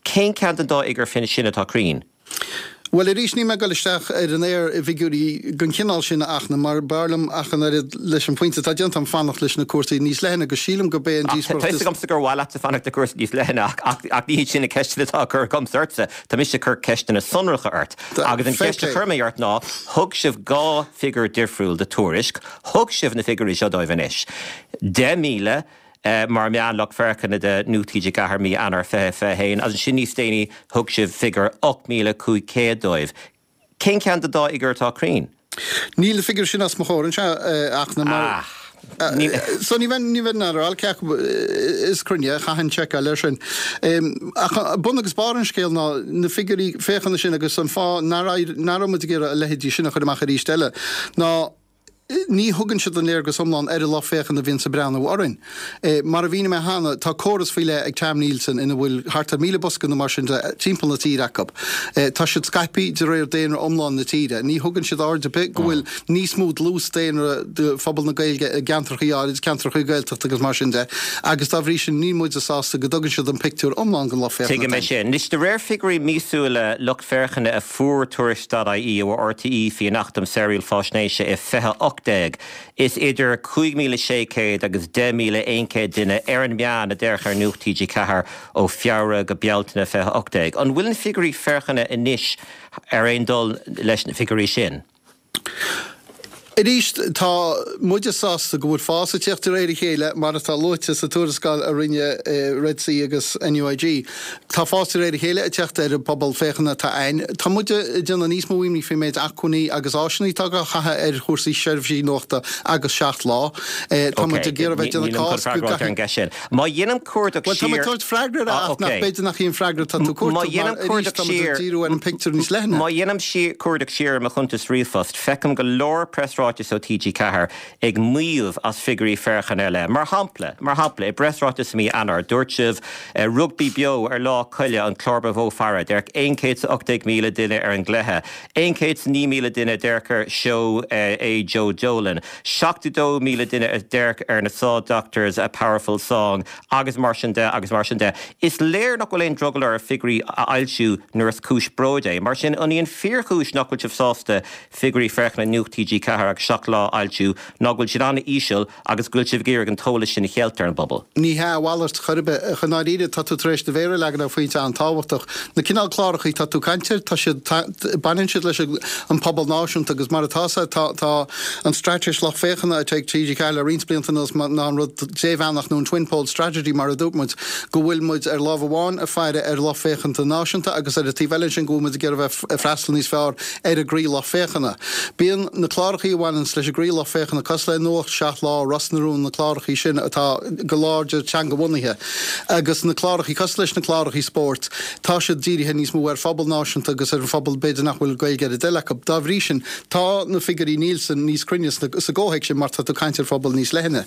Cén ceann den dá fhigiúr sin atá cruinn? Bhuel, arís, níl mé ag dul isteach ar an aer i bhfigiúirí den chineál sin a Fhachtna, mar b'fhearr liom ach an oiread leis an phointe atá déanta agam fanacht leis na cúrsaí níos leithne agus sílim gurb é an díospóireacht is. Tá a fhios agamsa gur mhaith leatsa fanacht le cúrsaí níos leithne ach ach ní hiad sin na ceisteanna atá á gcur agamsa ortsa. Tá mise ag cur ceisteanna sonracha ort. Agus an cheist a chuir mé ort ná, thug sibh dhá figiúr difriúil do Tuairisc, thug sibh na figiúirí seo dóibh anois. Deich míle mar meánlucht féachana do Nuacht T G ceathair mí Eanáir fiche fiche a haon, agus ansin níos déanaí thug sibh figiúr ocht míle cúig chéad dóibh. Cén ceann den dá fhigiúr atá cruinn? Níl na figiúirí sin os mo chomhair anseo, a Fhachtna, mar. So ní bheinn ní bheinn in ann a rá cé acu is cruinne, chaithfinn seiceáil air sin. Ach bun agus barr an scéil ná na figiúirí féachana sin agus an fáth nach raibh muid ag iarraidh a leithéidí sin a chur amach arís eile ná ní thugann siad an léargas iomlán ar an lucht féachana a bhíonns ag breathnú orainn. Mar a mhínigh mé cheana, tá córas faoi leith ag Tam Nielsen ina bhfuil thart ar míle bosca nó mar sin de timpeall na tíre acu. Tá siad scaipthe de réir daonra iomlán na tíre. Ní thugann siad aird ar bith go bhfuil níos mó dlús daonra de phobal na Gaeilge i gceantracha áirid, ceantracha Gaeltachta agus mar sin de, agus dá bhrí sin níl muide sásta go dtugann siad an pictiúr iomlán den lucht féachana Tuigim é sin. Anois, de réir figiúirí míosúla lucht féachana a fuair Tuairisc dot I E ó R T E faoin Acht um Shaoráil Faisnéise i fiche ocht déag, is idir cúig míle sé chéad agus deich míle aon chéad duine ar an meán a d'fhéach ar Nuacht T G ceathair ó Feabhra go Bealtaine fiche ocht déag. An bhfuil na figiúirí féachana anois ar aon dul leis na figiúirí sin? Arís, tá muide sásta go bhfuil fás ag teacht de réir a chéile, mar atá luaite sa tuarascáil a rinne Red C agus N U I G. Tá fás de réir a chéile ag teacht ar an bpobal féachana atá againn. Tá muide ag déanamh níos mó imní faoin méid acmhainní agus áiseanna atá á chaitheamh ar chúrsaí seirbhísí nuachta agus Seacht Lá. Tá muid ag iarraidh bheith ag déanamh cás go gcaithfidh. Má dhéanaim cuardach Bhuel, tá mé ag siar. tabhairt freagra ar ach nach b'fhéidir nach í an freagra atá tú ag Má cuartú, mar dhéanaim arís cuardach tá muid ag siar. díriú ar an bpictiúr níos leithne. Má dhéanaim cuardach siar ar mo chuntas ríomhphost, feicim go leor preasráitis ó T G ceathair ag maíomh as figiúirí féachana ar leith. Mar shampla, mar shampla, i bpreasráiteas i mí Eanáir, dúirt sibh, Rugbaí Beo ar Lá Coille an clár ba mhó faire, d'amharc aon chéad is a ocht déag míle duine ar an gcluiche, aon chéad is a naoi míle duine a d'amharc ar seó é Joe Dolan, seachtó dó míle duine a d'amharc ar na Saw Doctors A Powerful Song agus mar sin de agus mar sin de. Is léir nach bhfuil aon drogall oraibh figiúirí a fhoilsiú nuair is cúis bróid é. Mar sin, an í an fíorchúis nach bhfuil sibh sásta figiúirí féachana Nuacht T G ceathair agus Seacht Lá a fhoilsiú ná go bhfuil siad an-íseal agus go bhfuil sibh ag iarraidh an t-eolas sin a cheilt ar an bpobal? Ní hea, a mhalairt chor ar bith. I ndáiríre, tá tú tar éis do mhéar a leagan ar phointe an-tábhachtach. Na cineál cláracha atá tú ag caint air, tá siad, baineann siad leis an pobal náisiúnta agus mar atá sé, tá, tá an straitéis lucht féachana atá ag T G ceathair le roinnt blianta anuas ná an rud débheannach nó an twin pole strategy mar a dúirt muid, go bhfuil muid ar lámh amháin ag faire ar lucht féachanta náisiúnta agus ar an taobh eile ansin go bhfuil muid ag iarraidh bheith ag freastal níos fearr ar an gcroí-lucht féachana. Bíonn na clárachaí a bhaineanns leis an gcroí-lucht féachana cosúil le Nuacht, Seacht Lá, Ros na Rún, na clárachaí sin atá go láidir teanga-bhunaithe, agus na clárachaí cosúil leis na clárachaí spóirt, tá siad dírithe níos mó ar phobal náisiúnta agus ar an phobal b'fhéidir nach bhfuil Gaeilge ar a dtoil acu. Dá bhrí sin, tá na figiúirí Nielsen níos cruinne sa gcomhthéacs sin mar tá tú ag caint ar phobal níos leithne.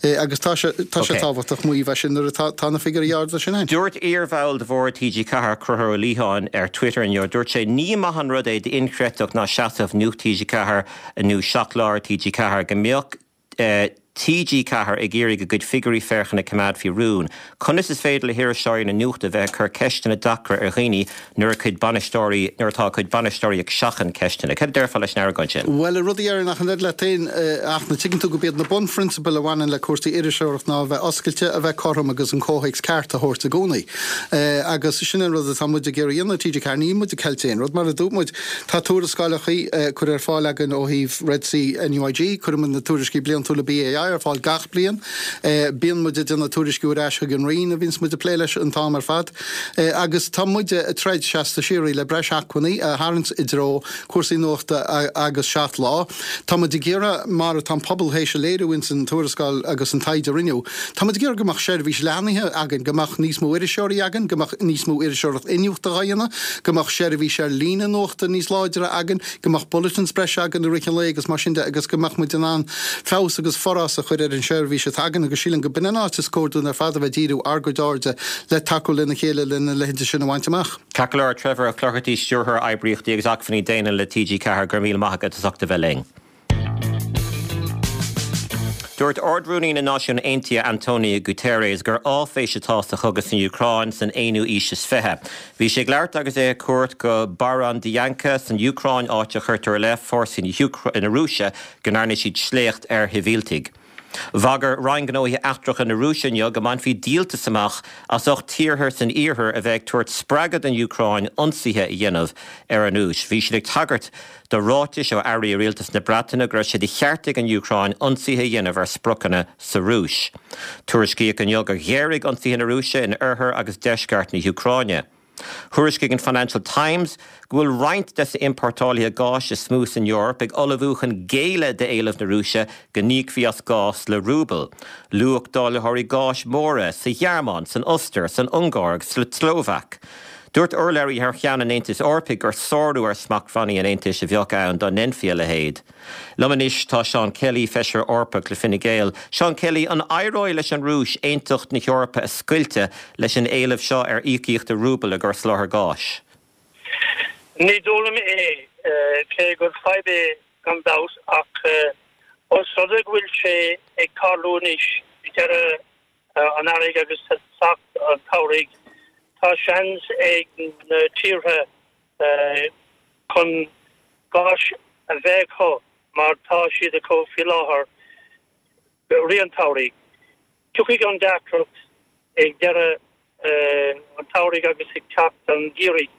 Agus tá sé tá sé tábhachtach maíomh é sin nuair atá tá na figiúirí arda sin ann. Dúirt iarbhall de bhord T G ceathair, Conchúr Ó Liatháin, ar Twitter inniu, dúirt sé, Ní maith an rud é d'inchreidteacht ná seasamh Nuacht T G ceathair nó Seacht Lá ar T G ceathair go mbeadh T G ceathair ag iarraidh a gcuid figiúirí féachana a choimeád faoi rún. Conas is féidir le hiriseoirí na nuachta bheith ag cur ceisteanna deacra ar dhaoine nuair a cuid bainisteoirí nuair atá a cuid bainisteoirí ag seachaint ceisteanna? Cad a déarfá leis an argóint sin? Bhuel, an rud a déarfainn ach an oiread leat féin, ach na tuigeann tú gurb iad na bunphrionsabail a bhaineann le cúrsaí iriseoireacht ná a bheith oscailte, a bheith cothrom agus an comhthéacs ceart a thabhairt i gcónaí. Agus sin an rud atá muid ag iarraidh a dhéanamh i T G ceathair. Níl muid ag ceilt aon rud. Mar a dúirt muid, tá tuarascálacha curtha ar fáil againn ó thaobh Red C N U I G, cuireann muid na tuairiscí bliantúla B A I ar fáil gach bliain. Bíonn muid ag déanamh tuairisciú ar ais chuig an Roinn a bhíonns muid ag plé leis an t-am ar fad. Agus tá muide ag troid seasta síoraí le breis acmhainní a tharraingt i dtreo cúrsaí nuachta agus Seacht Lá. Tá muid ag iarraidh, mar atá an pobal théis a léiriú ins an tuarascáil agus an taighde a rinneadh, tá muid ag iarraidh go mbeadh seirbhís leathnaithe againn, go mbeadh níos mó iriseoirí againn, go mbeadh níos mó iriseoireacht iniúchta á dhéanamh, go mbeadh seirbhís ar líne nuachta níos láidre againn, go mbeadh bulletins breise againn i rith an lae agus mar sin de agus go mbeadh muid in ann feabhas agus forás feabhas a chur ar an seirbhís atá againn agus sílim go b'in an áit is cóir dúinn ar fad a bheith ag díriú ár gcuid airde le tacú lena chéile lena leithéid sin a bhaint amach. Ceart go leor, Trevor Ó Clochartaigh, Stiúrthóir Oibríochtaí agus Acmhainní Daonna le T G Ceathair, go raibh míle maith agat as ucht a bheith linn. Dúirt Ard-Rúnaí na Náisiún Aontaithe Antonio Guterres gur áiféis atá sa chogadh san Úcráin san aonú haois is fiche. Bhí sé ag labhairt agus é ar cuairt go Borodyanka san Úcráin, áit a chuirtear i leith fórsaí na Rúise go ndearna siad sléacht ar shibhialtaigh. Bhagair Roinn Gnóthaí Eachtracha na Rúise inniu go mbainfí díoltas amach as ucht tíortha san iarthar a bheith ag tabhairt spreagadh don Úcráin ionsaithe a dhéanamh ar an Rúis. Bhí siad ag tagairt do ráitis ó airí rialtas na Breataine go raibh sé de cheart ag an Úcráin ionsaithe a dhéanamh ar spriocanna sa Rúis. Tuairiscíodh inniu gur ghéaraigh ionsaithe na Rúise in oirthear agus deisceart na hÚcráine. Thuairiscigh an Financial Times go bhfuil roinnt des na hiompórtálaithe gáis is mó san Eoraip ag ullmhú chun géilleadh d'éileamh na Rúise go n-íocfaí as gás le rúbal. Luadh dáilitheoirí gáis móra sa Ghearmáin, san Ostair, san Ungáir agus sa tSlóvaic. Dúirt urlabhraí thar cheann an Aontais Eorpaigh gur sárú ar smachtbhannaí an Aontais a bheadh ann dá ndéanfaí a leithéid. Liom anois tá Seán Kelly, feisire Eorpach le Fine Gael. Seán Kelly, an éireoidh leis an Rúis aontacht na hEorpa a scoilteadh leis an éileamh seo ar íocaíocht i rúbal i gcomhair soláthar gáis? Ní dóigh liom é, cé gur fadhb é gan dabht, ach os rud é go bhfuil sé ag tarlú anois ag deireadh an earraigh agus teacht an tsamhraidh, tá seans ag na tíortha chun gás a bheith acu mar tá siad acu faoi láthair i rith an tsamhraidh. Tiocfaidh an deacracht ag deireadh an tsamhraidh agus ag teacht an gheimhridh,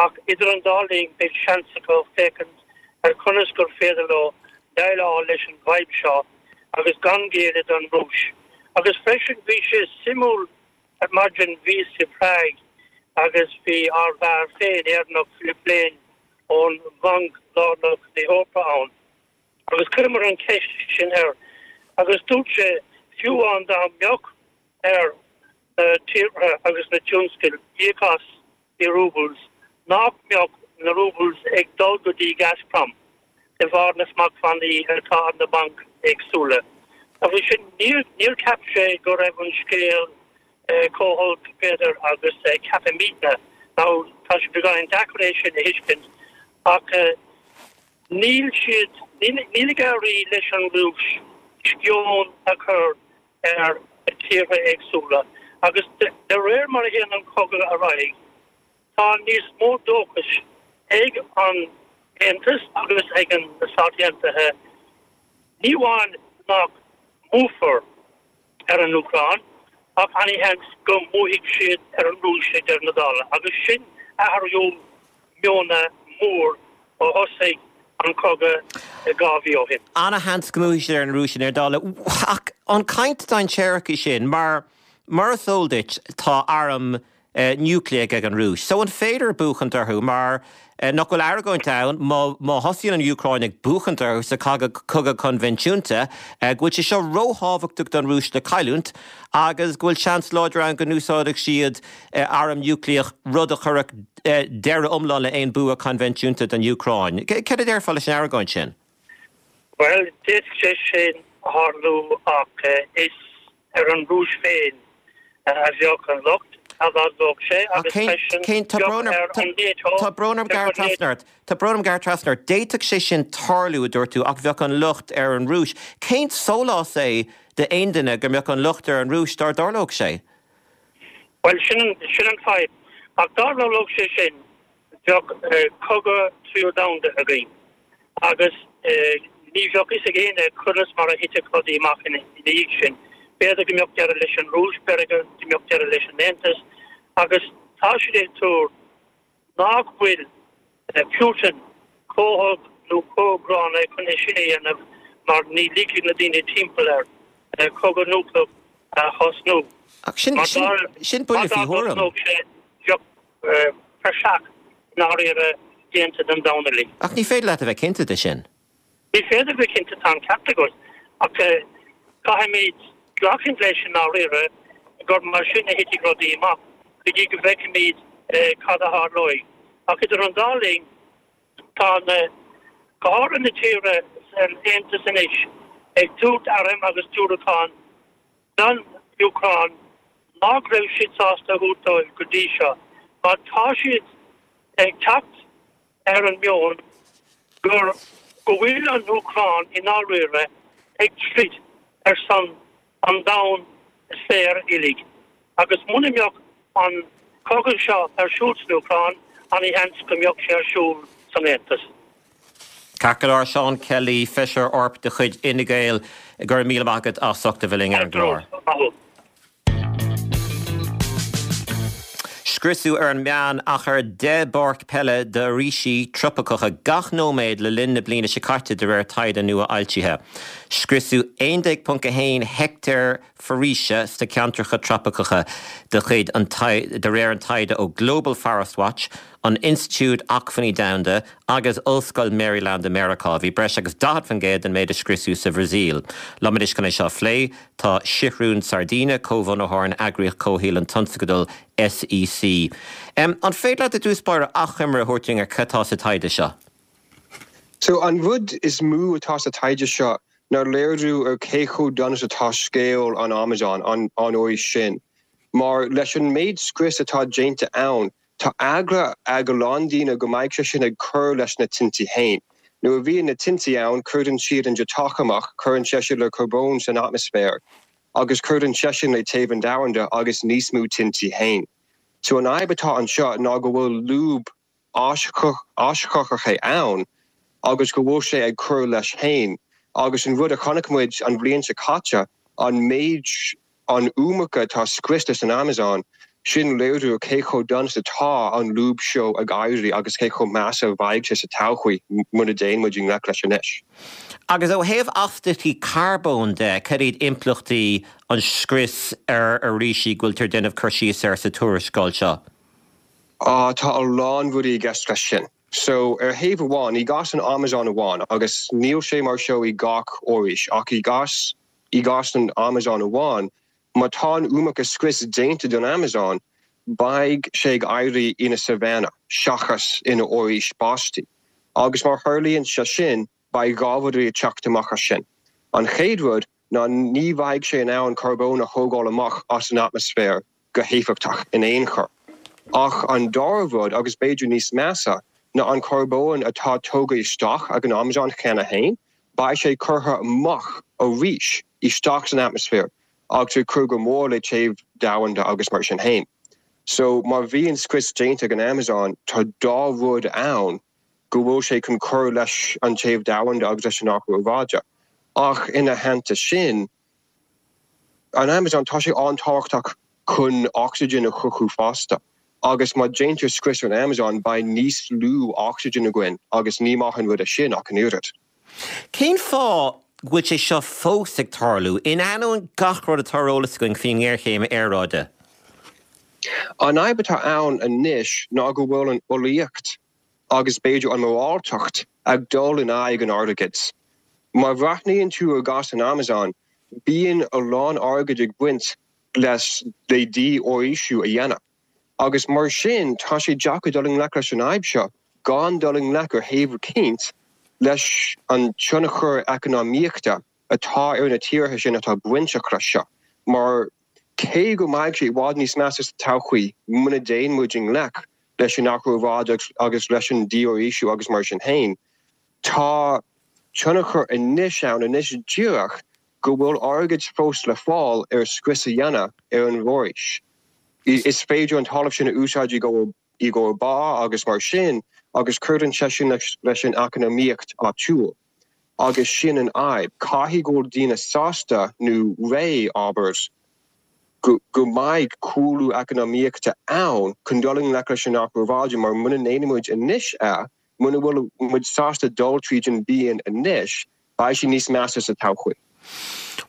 ach idir an dá linn beidh seans acu féachaint ar conas gur féidir leo déileáil leis an bhfadhb seo agus gan géilleadh don Rúis. Agus freisin bhí sé suimiúil ar maidin, bhíos i Prague agus bhí ár bhfear féin Éireannach Philip Lane ón Bhanc Lárnach na hEorpa ann agus chuireamar an cheist sin air agus dúirt sé fiú amháin dá mbeadh ar na tíortha agus na tionscail íoc as i roubles nach mbeadh na roubles ag dul go dtí Gazprom de bharr na smachtbhannaí atá ar na bainc éagsúla. Agus sin níor níor cheap sé go raibh an scéal chomh holc b'fhéidir agus ceapaimidne. Now tá sé beagáinín deacair é sin a thuiscint ach níl siad níl ag éirí leis an Rúis sceon a chur ar tíortha éagsúla agus de réir mar a théann an cogadh ar aghaidh tá níos mó dóchais ag an Aontas agus ag an Stáit Aontaithe ní amháin nach mbuafar ar an Úcráin ach an-sheans go mbuafaidh siad ar an Rúis ag deireadh na dála agus sin athrú meoin mór ó thosaigh an cogadh dhá mhí ó shin. An-sheans go mbuafaidh siad ar an Rúis i ndeireadh dála. Ach an caint dainséarach í sin mar mar is eol duit tá arm núicléach ag an Rúis. So an féidir buachaint orthu mar nach bhfuil argóint ann má thosaíonn an Úcráin ag buachaint orthu sa cogadh coinbhinsiúnta go bhfuil sé seo róthábhachtach don Rúis le cailliúint agus go bhfuil seans láidir ann go n-úsáidfidh siad arm núicléach rud a chuirfeadh deireadh iomlán le haon bua coinbhinsiúnta don Úcráin. Cad a déarfá leis an argóint sin? Well d'fhéadfadh sé sin tarlú ach is ar an Rúis féin a bheadh an locht a tharlódh sé agus freisin Tá brón orm gearradh trasna ort. Tá brón orm gearradh trasna ort. D'fhéadfadh sé sin tarlú a dúirt tú ach bheadh an locht ar an Rúis. Cén sólás é d'aon duine go mbeadh an locht ar an Rúis dá dtarlódh sé? Well sin sin an fadhb ach dá dtarlódh sé sin bheadh cogadh tríú domhanda againn agus ní bheadh a fhios ag éinne conas mar a thitfeadh rudaí amach ina dhiaidh sin. B'fhéidir go mbeadh deireadh leis an Rúis, b'fhéidir go mbeadh deireadh leis an Aontas agus tá siad ag tuar nach bhfuil Putin chomh holc nó chomh gránna chun é sin a dhéanamh mar ní ligfidh na daoine timpeall air cogadh núicléach a thosnú. Ach sin sin buille faoi thuairim. Bheadh praiseach i ndáiríre déanta den domhan uilig. Ach ní féidir leat a bheith cinnte de sin. Ní féidir bheith cinnte tá an ceart agat ach caithfimid glacadh leis i ndáiríre gur mar sin a thitfidh rudaí amach go dtí go bhfeicfimid cad a tharlóidh. Ach idir an dá linn tá na go háirithe na tíortha san Aontas anois ag tabhairt airm agus diúracán don Úcráin nach raibh siad sásta a thabhairt dóibh go dtí seo, mar tá siad ag teacht ar an meon gur go bhfuil an Úcráin i ndáiríre ag troid ar son an domhain saor uilig. Agus muna mbeadh an cogadh seo ar siúl san Úcráin, an-sheans go mbeadh sé ar siúl san Aontas. Ceart go leor, Seán Kelly, Feisire Eorpach de chuid Fhine Gael, go raibh míle maith agat as ucht a bheith linn ar an gclár. Maith thú. Scriosadh ar an meán achar deich bpáirc peile d'fhoraoisí tropaiceacha gach nóiméad le linn na bliana seo caite, de réir taighde nua fhoilsithe. Scriosadh aon déag ponc a haon heicteár foraoise sna ceantracha tropaiceacha de chuid an de réir an taighde ó Global Forest Watch, an Institiúid Acmhainní Domhanda agus Ollscoil Maryland i Meiriceá. Bhí breis agus daichead faoin gcéad den méid a scriosadh sa Bhrasaíl. Liom anois chun é seo a phlé tá Sigrún Sardina, comhbhunaitheoir an eagraíocht comhshaoil an Tionscadal SEC. An féidir leat i dtús báire achoimre a thabhairt dúinn ar cad atá sa taighde seo? So an rud is mó atá sa taighde seo ná léiriú ar cé chomh dona is atá scéal an Amazon, an fhoraois sin. Mar leis an méid scrios atá déanta ann, tá eagla ag a lán daoine go mbeidh sé sin ag cur leis na tintí féin. Nuair a bhíonn na tintí ann, cuireann siad an deatach amach, cuireann sé sin le carbón san atmaisféar, agus cuireann sé sin le téamh an domhanda agus níos mó tintí féin. So an fhadhb atá anseo ná go bhfuil lúb aischothaitheach ann agus go bhfuil sé ag cur leis féin. Agus an rud a chonaic muid an bhliain seo caite, an méid, an iomarca atá scriosta san Amazon, sin léiriú ar cé chomh dona is atá an lúb seo ag éirí agus cé chomh measa a bheidh sé sa todhchaí muna dtéann muid i ngleic leis anois. Agus ó thaobh astaíochtaí carbóin de, cad iad impleachtaí an scrios ar fhoraoisí go bhfuiltear ag déanamh cur síos air sa tuarascáil seo? Á, tá a lán rudaí i gceist leis sin. So, ar thaobh amháin, i gcás an Amazon amháin, agus níl sé mar seo i gach fhoraois, ach i gcás, i gcás an Amazon amháin, má tá an iomarca scrios déanta don Amazon, beidh sé ag éirí ina savanna seachas ina fhoraois báistí. Agus má tharlaíonn sé sin, beidh dhá rud ag teacht amach as sin. An chéad rud ná ní bheidh sé in ann carbón a thógáil amach as an atmaisféar go héifeachtach in aon chor. Ach an dara rud, agus b'fhéidir níos measa, ná an carbón atá tógtha isteach ag an Amazon cheana féin, beidh sé curtha amach arís isteach san atmaisféar agus ag cur go mór le téamh domhanda agus mar sin féin. So má bhíonn scrios déanta ag an Amazon, tá dhá rud ann go bhfuil sé chun cur leis an téamh domhanda agus leis an athrú aeráide. Ach ina theannta sin, an Amazon, tá sé an-tábhachtach chun ocsaigin a chruthú fosta. Agus má déantar scrios ar an Amazon, beidh níos lú ocsaigin againn agus ní maith an rud é sin ach an oiread. Cén fáth go bhfuil sé seo fós ag tarlú, in ainneoin gach rud atá ar eolas againn faoin ngéarchéim aeráide? An fhadhb atá ann anois ná go bhfuil an eolaíocht agus b'fhéidir an mhoráltacht ag dul in aghaidh an airgid. Má bhreathnaíonn tú ar gcás an Amazon, bíonn a lán airgid ag baint leis le dífhoraoisiú a dhéanamh. Agus mar sin, tá sé deacair dul i ngleic leis an fhadhb seo gan dul i ngleic ar thaobh eicínt leis an tionchar eacnamaíochta atá ar na tíortha sin atá bainteach leis seo. Mar cé go mbeidh sé i bhfad níos measa sa todhchaí muna dtéann muid i ngleic leis an athrú aeráide agus leis an dífhoraoisiú agus mar sin féin, tá tionchar anois ann, anois díreach, go bhfuil airgead fós le fáil ar scrios a dhéanamh ar an bhforaois. Is féidir an talamh sin a úsáid i gcomhair ba agus mar sin agus cuireann sé sin leis an eacnamaíocht áitiúil. Agus sin an fhadhb. Caithfidh go bhfuil daoine sásta, nó réidh, abair, go mbeidh cúlú eacnamaíochta ann chun dul i ngleic leis an athrú aeráide mar muna ndéanann muid anois é, muna bhfuil muid sásta dul tríd an bpian anois, beidh sé níos measa sa todhchaí.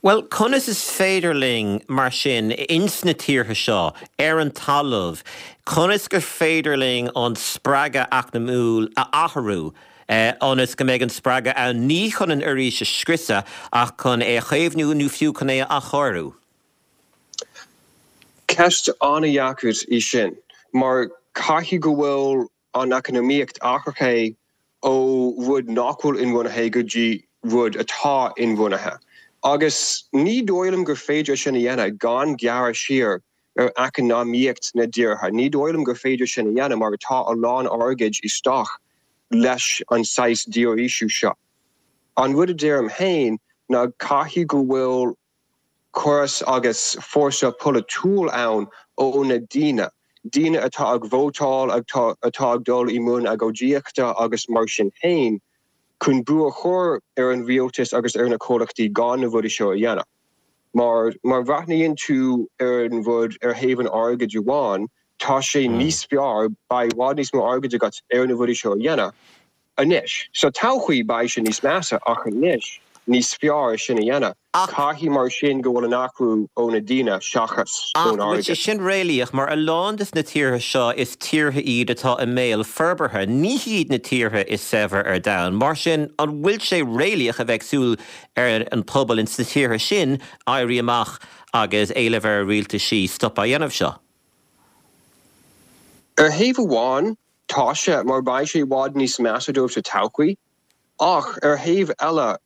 Bhuel, conas is féidir linn, mar sin, ins na tíortha seo, ar an talamh, conas gur féidir linn an spreagadh eacnamúil a athrú ionas go mbeidh an spreagadh ann ní chun an fhoraois a scriosadh ach chun é a chaomhnú nó fiú chun é a athchóiriú? Ceist an-dheacair í sin, mar caithfidh go bhfuil an eacnamaíocht athraithe ó rud nach bhfuil inbhuanaithe go dtí rud atá inbhuanaithe. Agus ní dóigh liom gur féidir sin a dhéanamh gan gearradh siar ar eacnamaíocht na dtíortha. Ní dóigh liom gur féidir sin a dhéanamh mar tá a lán airgid isteach leis an saghas dífhoraoisiú seo. An rud a deirim féin ná caithfidh go bhfuil córas agus fórsa polaitiúil ann ó na daoine, daoine atá ag vótáil, atá ag dul i mbun agóidíochta agus mar sin féin, chun brú a chur ar an rialtas agus ar na comhlachtaí gan na rudaí seo a dhéanamh. Mar má bhreathnaíonn tú ar an rud ar thaobh an airgid amháin, tá sé níos fearr, beidh i bhfad níos mó airgid agat ar na rudaí seo a dhéanamh anois. Sa todhchaí beidh sé níos measa ach anois níos fearr é sin a dhéanamh. Caithfidh mar sin go bhfuil an athrú ó na daoine seachas ón airgead. Ach bhfuil sé sin réalaíoch? Mar a lán des na tíortha seo is tíortha iad atá i mbéal forbartha, ní hiad na tíortha is saibhre ar domhan. Mar sin an bhfuil sé réalaíoch a bheith ag súil ar an pobal ins na tíortha sin éirí amach agus éileamh ar a rialtaisí stop a dhéanamh seo? Ar thaobh amháin, tá sé, mar beidh sé i bhfad níos measa dóibh sa todhchaí. Ach ar thaobh eile,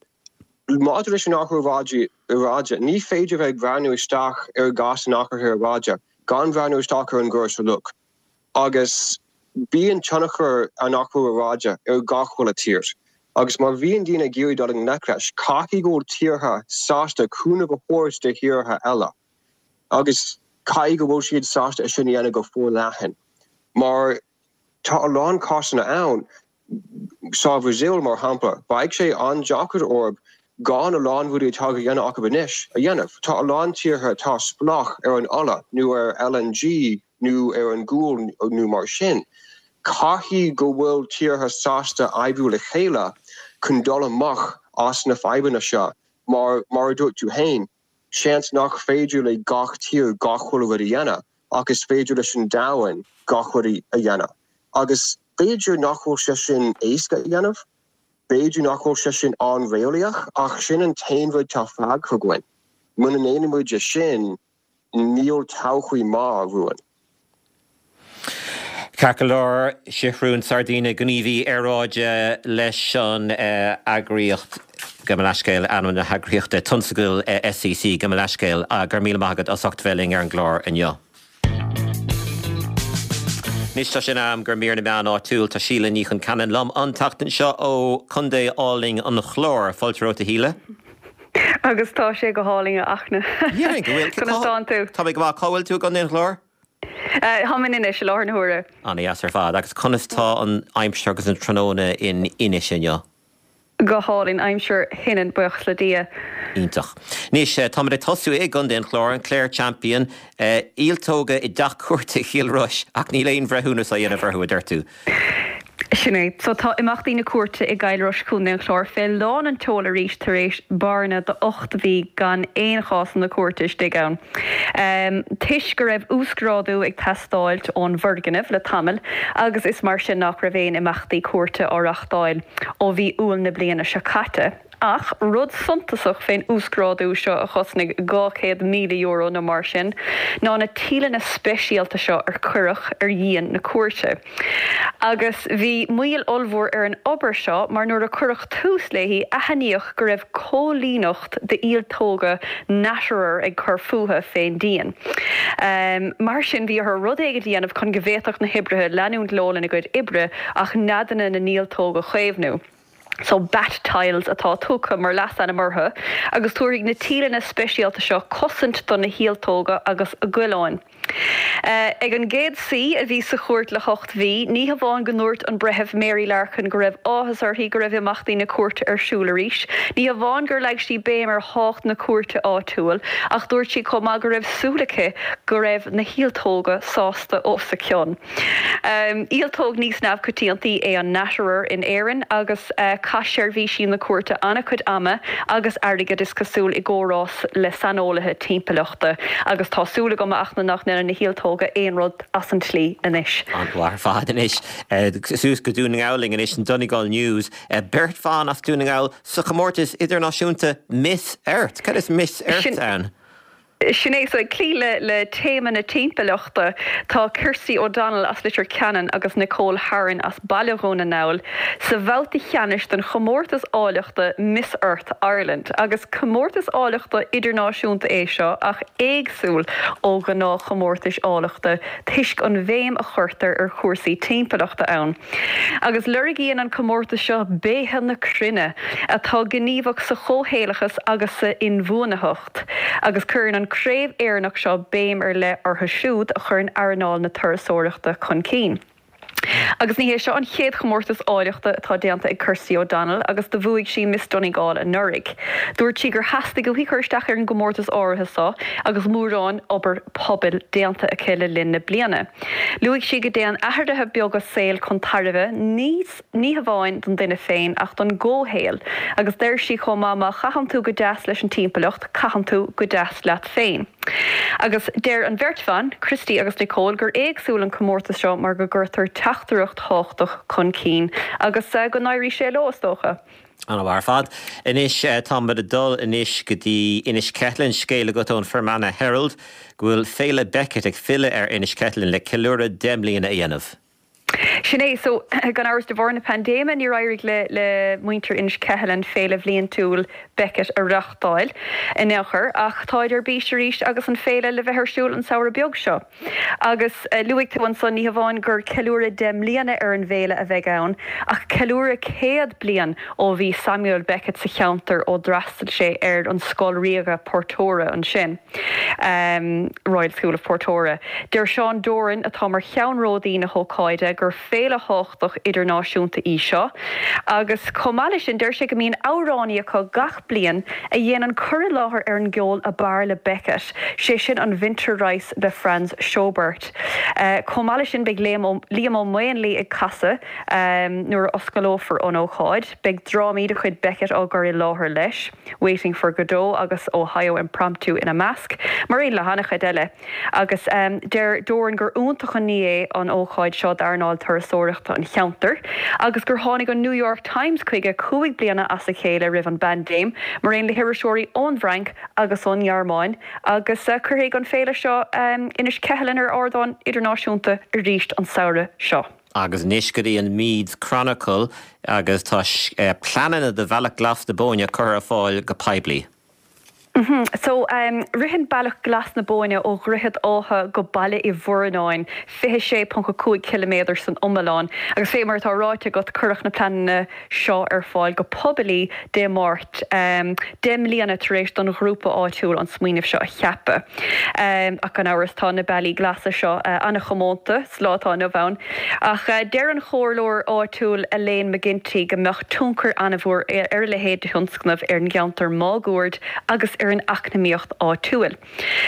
maidir leis an athrú aeráide, ní féidir bheith ag breathnú isteach ar gcás an athraithe aeráide gan breathnú isteach ar an gcóras uilig. Agus bíonn tionchar an athrú aeráide ar gach uile tír. Agus má bhíonn daoine ag iarraidh dul i ngleic leis, caithfidh go bhfuil tíortha sásta cúnamh a thabhairt do thíortha eile. Agus caithfidh go bhfuil siad sásta é sin a dhéanamh go forleathan. Mar tá a lán cásanna ann, sa Bhrasaíl mar shampla, beidh sé an-deacair orthu gan a lán rudaí atá á dhéanamh acu anois a dhéanamh. Tá a lán tíortha atá spleách ar an ola nó ar LNG nó ar an gcual nó mar sin. Caithfidh go bhfuil tíortha sásta oibriú le chéile chun dul amach as na fadhbanna seo mar, mar a dúirt tú féin, seans nach féidir le gach tír gach uile rud a dhéanamh ach is féidir leis an domhan gach rud a dhéanamh. Agus b'fhéidir nach bhfuil sé sin éasca a dhéanamh, b'fhéidir nach bhfuil sé sin an-réalaíoch, ach sin an t-aon rud atá fágtha againn. Muna ndéanann muid é sin, níl todhchaí maith romhainn. Ceart go leor, Seathrún Sardina, gníomhaí aeráide leis an eagraíocht, gabh mo leithscéal, ainm na heagraíochta, Tionscadal SEC, gabh mo leithscéal, go raibh míle maith agat as ucht bheith linn ar an gclár inniu. Anois tá sé in am do mhír na meán áitiúil. Tá Síle Ní Chonceanainn liom an tseachtain seo ó Chontae álainn an Chláir. Fáilte romhat a Shíle. Agus tá sé go hálainn a Fhachtna. Dhéarfainn go bhfuil. Conas tánn tú? Tá mé go maith. Cá bhfuil tú i gContae an Chláir? Táim in Inis i láthair na huaire. An-deas ar fad. Agus conas tá an aimsir agus an tráthnóna in Inis inniu? Go hálainn, aimsir shoineann, buíochas le Dia. Iontach. Anois, táimid ag tosú i gContae an Chláir, an Clare Champion, ialtóga i dteach cúirte Chill Rois ach níl aon bhreithiúnas á dhéanamh orthu, a deir tú. Sin é. So tá imeachtaí na cúirte i gCill Rois, Contae an Chláir, fé lán an tseoil arís tar éis bearna de ocht mhí gan aon chásanna cúirte istigh ann. Toisc go raibh uasghrádú ag teastáilt ón bhfoirgneamh le tamall agus is mar sin nach raibh aon imeachtaí cúirte á reachtáil ó mhí Iúil na bliana seo caite. Ach rud suntasach fén uasghrádú seo a chosnaigh dhá chéad míle euro nó mar sin ná na tíleanna speisialta seo ar cuireadh ar dhíon na cúirte. Agus bhí moill ollmhór ar an obair seo mar nuair a cuireadh tús léi aithníodh go raibh coilíneacht d'ialtóga natterer ag cur fúthu fén díon. Mar sin bhí orthu rud éigin a dhéanamh chun go bhféadfadh na hoibrithe leanúint leo lena gcuid oibre ach neadanna na n-ialtóg a chaomhnú. So bat tiles atá tugtha mar leasainm orthu agus tabharfaidh na tíleanna speisialta seo cosaint do na hialtóga agus a gcoileáin. Ag an gcéad suí a bhí sa chúirt le hocht mhí, ní hamháin go ndúirt an Breitheamh Mary Larkin go raibh áthas uirthi go raibh imeachtaí na cúirte ar siúl arís, ní hamháin gur leag sí béim ar thábhacht na cúirte áitiúil, ach dúirt sí chomh maith go raibh súil aici go raibh na hialtóga sásta os a cionn. Ialtóg níos neamhchoitiantaí é an natterer in Éirinn agus chaith seirbhísí na cúirte an-chuid ama agus airgid is cosúil i gcomhrá le saineolaithe timpeallachta agus tá súil agam a Fhachtna nach ndéanfaidh na hialtóga aon rud as an tslí anois. An-mhaith ar fad anois. Suas go Dún na nGall linn anois, an Donegal News. Beirt bhan as Dún na nGall sa chomórtas idirnáisiúnta Miss Earth. Cad is Miss Earth ann? Sin é, so ag cloí le le téama na timpeallachta, tá Kirsty O'Donnell as Leitir Ceanainn agus Nicole Harron as Baile Dhún na nGall sa bhabhta ceannais den chomórtas áilleachta Miss Earth Ireland. Agus comórtas áilleachta idirnáisiúnta é seo ach éagsúil ó ghnáthchomórtais áilleachta toisc an bhéim a chuirtear ar chúrsaí timpeallachta ann. Agus lorgaíonn an comórtas seo béithe na cruinne atá gníomhach sa chomhshaolachas agus sa inbhuanaitheacht, agus cuireann an craobh Éireannach seo béim ar leith orthu siúd a chuireann earnáil na turasóireachta chun cinn. Agus ní hé seo an chéad chomórtas áilleachta atá déanta ag Kirsty O'Donnell agus do bhuaigh sí Miss Donegal anuraidh. Dúirt sí gur theastaigh uaithi cur isteach ar an gcomórtas áirithe seo agus mórán obair pobail déanta aici le linn na bliana. Luaigh sí go dtéann athruithe beaga saoil chun tairbhe níos ní hamháin don duine féin ach don gcomhshaol agus deir sí chomh maith má chaitheann tú go deas leis an timpeallacht, caitheann tú go deas leat féin. Agus deir an bheirt bhan, Kirsty agus Nicole, gur éagsúil an comórtas seo mar go gcuirtear teachtaireacht thábhachtach chun cinn agus go n-éirí sé leo is dócha. An-mhaith ar fad. Anois táimid ag dul anois go dtí Inis Ceithleann, scéal agat ón Fermanagh Herald go bhfuil Féile Beckett ag filleadh ar Inis Ceithleann le ceiliúradh deich mbliana a dhéanamh. Sin é, so gan amhras de bharr na paindéime níor éirigh le le muintir Inis Ceithleann féile bhliantúil Beckett a reáchtáil in aon chor ach táid ar bís arís agus an féile le bheith ar siúl an samhradh beag seo. Agus luaigh tú ansan ní hamháin gur ceiliúradh deich mbliana ar an bhféile a bheidh ann ach ceiliúradh céad bliain ó bhí Samuel Beckett sa cheantar ó d'fhreastail sé ar an Scoil Ríoga Portora ansin, Royal School of Portora. Deir Seán Doran atá mar cheannródaí na hócáide gur féile thábhachtach idirnáisiúnta í seo agus chomh maith leis sin deir sé go mbíonn amhránaí acu gach bliain a dhéanann cur i láthair ar an gceol ab fhearr le Beckett, sé sin an Winterreise le Franz Schubert. Chomh maith leis sin beidh Liam Ó Maonlaí ag casadh nuair a osclófar an ócáid. Beidh drámaí de chuid Beckett á gcur i láthair leis, Waiting for Godot agus Ohio Impromptu ina measc, mar aon le han-chuid eile. Agus deir Doran gur iontach an ní é an ócáid seo d'earnáil turasóireachta an cheantair agus gur tháinig an New York Times chuige cúig bliana as a chéile roimh an bpaindéim, mar aon le hiriseoirí ón bhFrainc agus ón nGearmáin, agus cuirfidh an féile seo Inis Ceithleann ar ardán idirnáisiúnta arís an samhradh seo. Agus anois go dtí an Meath Chronicle agus tá pleananna do Bhealach Glas na Bóinne curtha ar fáil go poiblí. So, ritheann Bealach Glas na Bóinne ó Dhroichead Átha go Baile Uí Mhurnáin, fiche sé ponc a cúig ciliméadar san iomlán, agus fé mar atá ráite agat, cuireadh na pleananna seo ar fáil go poiblí Dé Máirt, deich mbliana tar éis don ghrúpa áitiúil an smaoineamh seo a cheapadh. Ach gan amhras, tá na bealaí glasa seo an-chomónta sa lá atá inniu ann. Ach deir an comhairleoir áitiúil Elaine McGinty go mbeadh tionchar an-mhór ar a leithéid de thionscnamh ar an gceantar máguaird agus ar an eacnamaíocht áitiúil.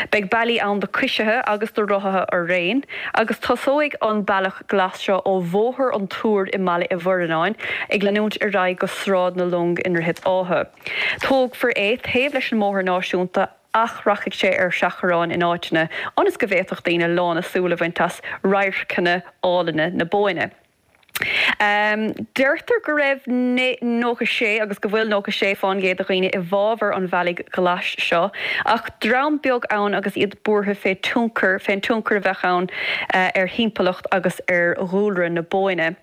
Beidh bealaí ann do choisithe agus do rothaithe araon, agus tosóidh an bealach glas seo ó Bhóthar an Túir i mBaile Uí Mhurnáin, ag leanúint ar aghaidh go Sráid na Long i nDroichead Átha. Tógfar é taobh leis an mbóthar náisiúnta ach rachaidh sé ar seachrán in áiteanna ionas go bhféadfadh daoine lán a súl a bhaint as radharcanna álainne na Bóinne. Deirtear go raibh nócha sé agus go bhfuil nócha sé fán gcéad de dhaoine i bhfabhar an bhealaigh ghlais seo, ach dream beag ann agus iad buartha fé tionchar, fén tionchar a bheadh ann ar thimpeallacht agus ar dhúlra na Bóinne.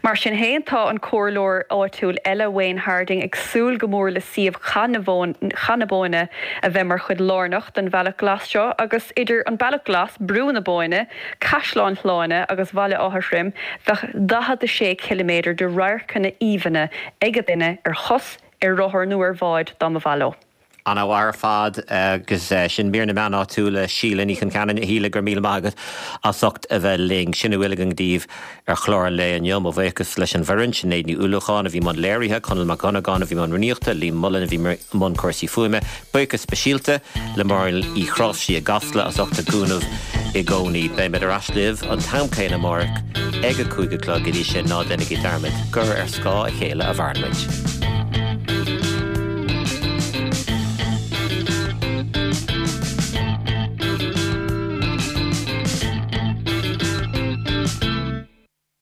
Mar sin féin, tá an comhairleoir áitiúil eile, Wayne Harding, ag súil go mór le suíomh Chath na Bóinne a bheith mar chuid lárnach den Bhealach Glas seo agus idir an Bealach Glas, Brú na Bóinne, Caisleán Shláine agus Bhaile Átha Throim, bheadh daichead a sé ciliméadar de radharcanna aoibhinne ag duine ar chos, ar rothar nó ar bhád dá mba mhaith leo. An-mhaith ar fad agus sin mír na meán áitiúil le Síle Ní Chonceanainn. A Shíle, go raibh míle maith agat as ucht a bheith linn. Sin a bhfuil againn daoibh ar chlár an lae inniu. Mo bhuíochas leis an bhfoireann, Sinéad Ní Uallacháin a bhí i mbun léirithe, Conall Mac Dhonnagáin a bhí i mbun rúnaíochta, Liam Mullen a bhí i mbun cúrsaí fuaime. Buíochas speisialta le Máirín Uí Chrosaigh i gCasla as ucht a gcúnamh i gcónaí. Beimid ar ais libh an t-am céanna amárach ag a cúig a chlog. Go dtí sin, ná déanaigí dearmad gur ar scáth a chéile a mhaireann muid.